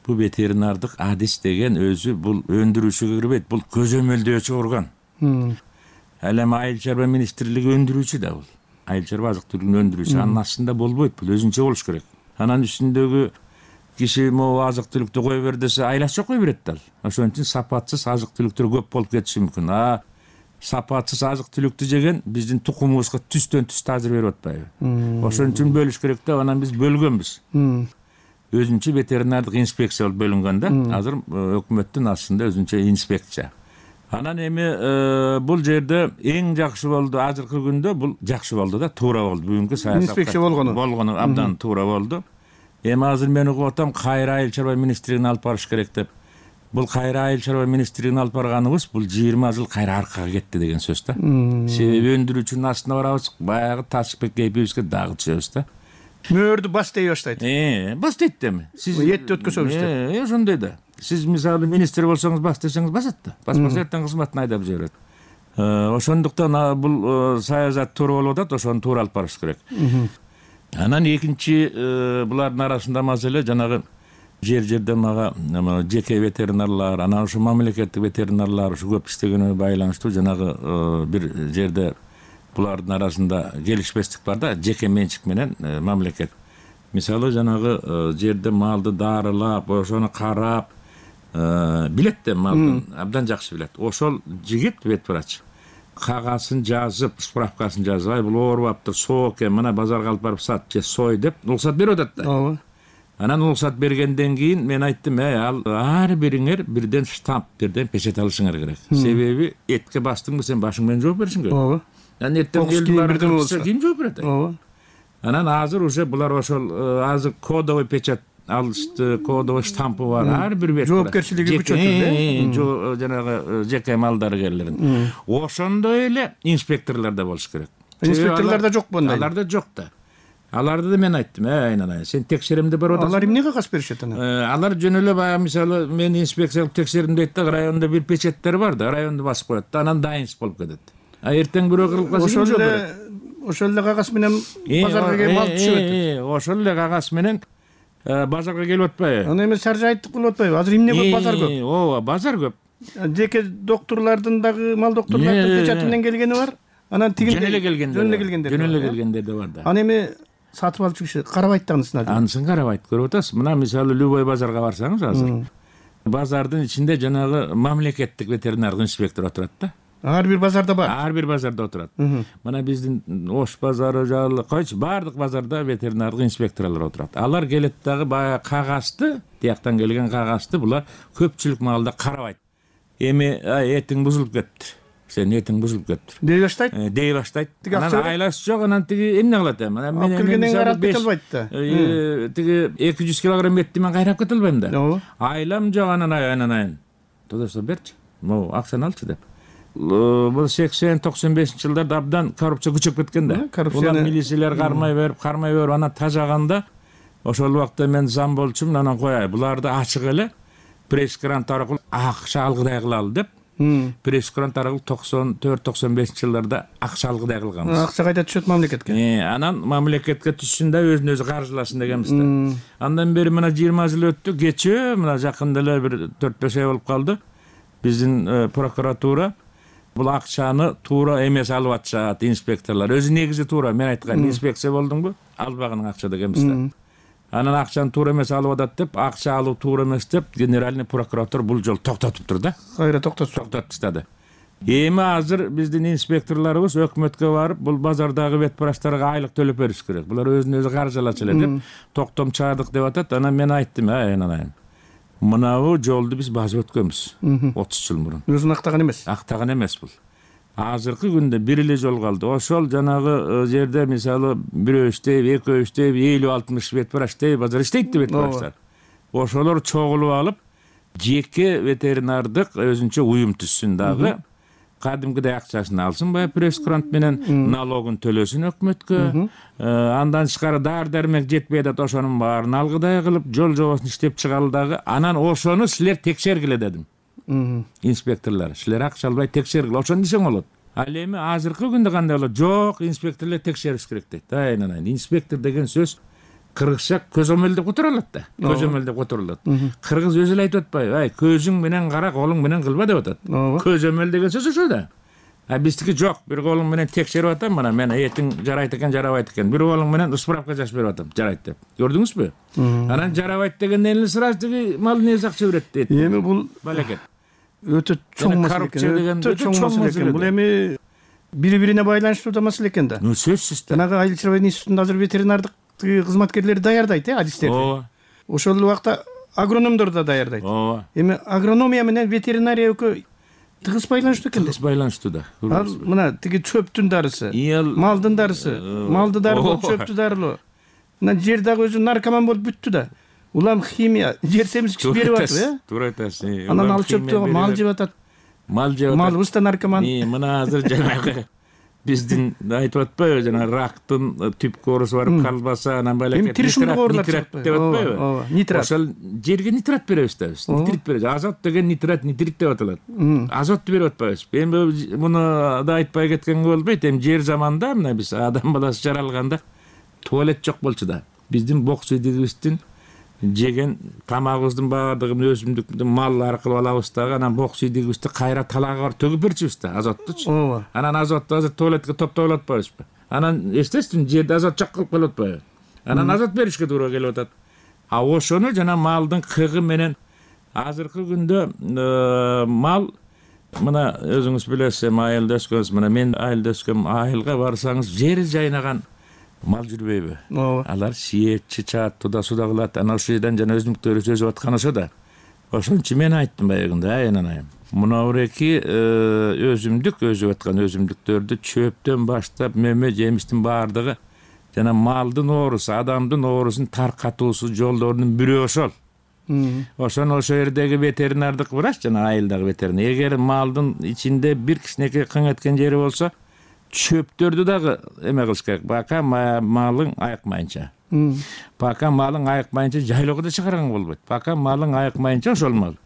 Бул ветеринардык адис деген өзү бул өндүрүүчүгө кирбейт, бул көзөмөлдөөчү орган. Ал эми айыл чарба министрлиги өндүрүүчү да бул. Айыл чарба азык түлүгүн өндүрүүчү, анын астында болбойт, бул өзүнчө болуш керек. Анан үстүндөгү киши могу азык түлүктү кое бер десе, айлача кое берет да. Ошон үчүн сапатсыз азык түлүктөр көп болуп кетиши мүмкүн. Сапатсыз азык түлүктү жеген биздин тукумубузга түстөн түс таазир берип атпайбы? Ошон үчүн бөлүш керек да, анан биз бөлгөнбүз. Өзүнчө ветеринардык инспекция болуп бөлүнгөн да. Азыр өкмөттүн астында өзүнчө инспекция. Анан эми бул жерде эң жакшы болду, азыркы күндө бул жакшы болду да, туура болду. Бүгүнкү саясат инспекция болгону абдан туура болду. Эми азыр мен угуп атам, кайра айыл чарба министрлигине алып барыш керек деп. Бул кайра айыл чарба министрлигине алып барганыбыз бул 20 жыл кайра аркага кетти деген сөз да. Себеби өндүрүүчүнүн астына барабыз, баягы Ташпек кейпибизге дагы түшөбүз да. Мөөрдү бас дей баштайт. Бас дейт деми. Сиз этти өткөзөбүз деп. Ошондой да. Сиз мисалы министр болсоңуз бас десеңиз басат да. Баспаса эртең кызматын айдап жиберет. Ошондуктан бул саясат туура болуп атат, ошону туура алып барыш керек. Анан экинчи булардын арасында маселе жанагы жерде мага жеке ветеринарлар, анан ушу мамлекеттик ветеринарлар ушу көп иштегенине байланыштуу жанагы бир жерде булардын арасында келишпестик бар да, жеке менчик менен мамлекет. Мисалы жанагы жерде малды дарылап, ошону карап, билет да, малдын абдан жакшы билет. Ошол жигит ветврач кагасын жазып, справкасын жазып, бул ооруп аптыр, соо экен, мына базарга алып барып сат, же сой деп уруксат берип атат да. Анан уруксат бергенден кийин мен айттым, ал ар бириңер бирден штамп, бирден печать алышыңар керек. Себеби этке бастыңбы сен башың менен жооп беришиң керек. Ооба. Анан эртең элди бирден болсо ким жооп берет? Ооба. Анан азыр уже булар ошол азыр кодовый печать алышты, кодовый штампы бар. Ар бир бет жоопкерчилиги күчөтүлдү. Жанагы жеке мал дарыгерлерин. Ошондой эле инспекторлор да болуш керек. Инспекторлор да жок мындай. Алар да жок да. Аларды да мен айттым, айнанай, сен текшеримде барып атасың. Алар эмне кагаз беришет анан? Алар жөн эле баягы мисалы мен инспекция кылып текшердим дейт да, районда бир печаттар бар да, районду басып коет да, анан дайынсыз болуп кетет. Эртең бирөө кырылып калса ошол эле кагаз менен базарга келип мал түшүп атат. Ошол эле кагаз менен базарга келип атпайбы? Аны эми шаржайттык болуп атпайбы? Азыр эмне көп базар көп? Ооба, базар көп. Жеке доктурлардын дагы мал доктурлардын печаты менен келгени бар. Анан тигин жөн эле келгендер да бар да. Аны эми сатып алчу киши карабайт да анысына. Анысын карабайт, көрүп атасыз. Мына мисалы любой базарга барсаңыз азыр базардын ичинде жанагы мамлекеттик ветеринардык инспектор отурат да. Ар бир базарда бар. Ар бир базарда отурат. Мына биздин Ош базары жагы койчу, баардык базарда ветеринардык инспекторлор отурат. Алар келет дагы баягы кагазды, тияктан келген кагазды булар көпчүлүк малда карабайт. Эми этиң бузулуп кетти. Сен этиң бузулуп кетти. Дей баштайт? Дей баштайт. Анан айласы жок, анан тиги эмне кылат эми? Мен келгенден карап кете албайт да. Тиги 200 килограмм этти мен кайрап кете албайм да. Айлам жок, анан тодосо берчи. Могу акчаны алчы деп. Бул 80-95 жылдарда абдан коррупция күчөп кеткен да. Булар милициялар кармай берип, анан тажаганда ошол убакта мен зам болчумун, анан кояй, буларды ачык эле пресс-грант аркылуу акча алгыдай кылалы деп. Пресс-грант аркылуу 94-95 жылдарда акча алгыдай кылганбыз. Акча кайда түшөт мамлекетке? Анан мамлекетке түшсүн да өзүн өзү каржыласын дегенбиз да. Андан бери мына 20 жыл өттү, кечээ мына жакында эле бир 4-5 ай болуп калды. Биздин прокуратура бул акчаны туура эмес алып атышат инспекторлор. Өзү негизи туура, мен айткан инспекция болдуңбу? Албаган акча дегенбиз да. Анан акчаны туура эмес алып атат деп, акча алуу туура эмес деп, генеральный прокуратура бул жолу токтотуптур да. Кайра токтотуп таштады. Эми азыр биздин инспекторлорубуз өкмөткө барып, бул базардагы вет врачтарга айлык төлөп бериш керек. Булар өзүн өзү каржылачу эле деп токтом чыгардык деп атат. Анан мен айттым, анан мынабу жолду биз басып өткөнбүз 30 жыл мурун. Өзүн актаган эмес. Актаган эмес бул. Азыркы күндө бир эле жол калды. Ошол жанагы жерде мисалы бирөө иштейт, экөө иштейт, 50-60 вет врач иштейт, базар иштейт вет врачтар. Ошолор чогулуп алып, жеке ветеринардык өзүнчө уюм түзсүн дагы. Кадимкидей акчасын алсын, баягы пресс-грант менен налогун төлөсүн өкмөткө. Андан тышкары дары-дармек жетпей атат, ошонун баарын алгыдай кылып, жол жобосун иштеп чыгалы дагы. Анан ошону силер текшергиле дедим. Инспекторлор, силер акча албай текшергиле, ошону десең болот. Ал эми азыркы күндө кандай болот? Жок, инспекторлор текшериш керек дейт. Инспектор деген сөз кыргызча көзөмөл деп которулат да. Көзөмөл деп которулат. Кыргыз өзү эле айтып атпайбы? Көзүң менен кара, колуң менен кылба деп атат. Көзөмөл деген сөз ошо да. Биздики жок, бир колуң менен текшерип атам, мына мен этиң жарайт экен, жарабайт экен. Бир колуң менен справка жазып берип атам, жарайт деп. Көрдүңүзбү? Анан жарабайт дегенден эле сразу тиги мал несі акча берет дейт. Эми бул балекет. Өтө чоң маселе экен. Өтө чоң маселе экен. Бул эми бири-бирине байланыштуу да маселе экен да. Сөзсүз. Жанагы Айыл чарба институтунда азыр ветеринардык кызматкерлери даярдайт, адистерди. Ошол убакта агрономдор да даярдайт. Эми агрономия менен ветеринария экөө тыгыз байланыштуу экен. Тыгыз байланыштуу да. Ал мына тиги чөптүн дарысы, малдын дарысы, малды дарылоо, чөптү дарылоо. Мына жер дагы өзү наркоман болуп бүттү да. Улам химия, жер семизгич берип атып, Туура айтасыз. Анан ал чөптү мал жеп атат. Малыбыз да наркоман. Мына азыр жанагы биздин айтып атпайбы, жана рактын түп корусу барып калбаса, анан балекет нитрат деп атпайбы? Нитрат. Ошол жерге нитрат беребиз да биз. Нитрит беребиз. Азот деген нитрат деп аталат. Азотту берип атпайбыз. Эми муну да айтпай кеткенге болбойт. Эми жер заманда мына биз адам баласы жаралганда туалет жок болчу да. Биздин бок суйдигибиздин жеген тамагыбыздын баардыгын өсүмдүктүн мал аркылуу алабыз дагы, анан бок суйдигибизди кайра талагга барып төгүп берчүбүз да, азоттучу. Анан азотту азыр туалетке топтоп атпайбызбы? Анан эстесиң, жерде азот жок кылып калып атпайбы? Анан азот беришке туура келип атат. Ошону жана малдын кыгы менен азыркы күндө мал мына өзүңүз билесиз, айылда өскөнсүз, мына мен айылда өскөм, айылга барсаңыз жери жайнаган мал жүрбөйбү? Ооба. Алар сиет, чычат, туда суда кылат. Ана ошол жерден жана өзүмдүктөрү сөзүп аткан ошо да. Ошон үчүн мен айттым баягында, анайым. Мына буреки өзүмдүк өзүп аткан өзүмдүктөрдү чөптөн баштап мөмө жемиштин баардыгы жана малдын оорусу, адамдын оорусун таркатуусу жолдорунун бирөө ошол. Ошону ошол жердеги ветеринардык врач жана айылдагы ветеринар эгер малдын ичинде бир кичинекей кың эткен жери болсо, чөптөрдү дагы эме кылыш керек. Пока малың айыкмайынча. Пока малың айыкмайынча жайлоого да чыгарган болбойт. Пока малың айыкмайынча ошол мал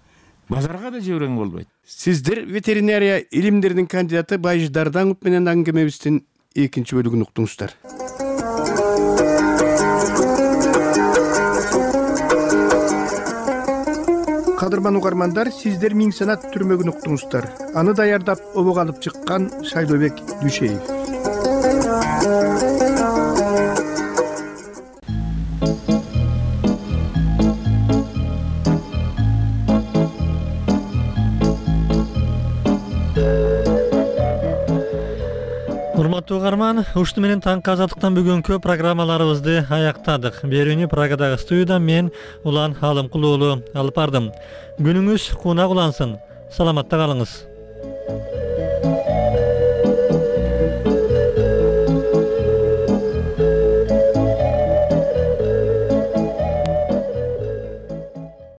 базарга да жиберген болбойт. Сиздер ветеринария илимдеринин кандидаты Байждар Даңов менен аңгемебиздин экинчи бөлүгүн уктуңуздар. Кадырман угармандар, сиздер Миң Санат түрмөгүн уктуңуздар. Аны даярдап обого алып чыккан Шайлообек Дүйшеев. Урматтуу угарман, ушту менен таңкы азаттыктан бүгүнкү программаларыбызды аяктадык. Берүүнү Прагадагы студиядан мен Улан Алымкул уулу алып бардым. Күнүңүз кунак улансын. Саламатта калыңыз.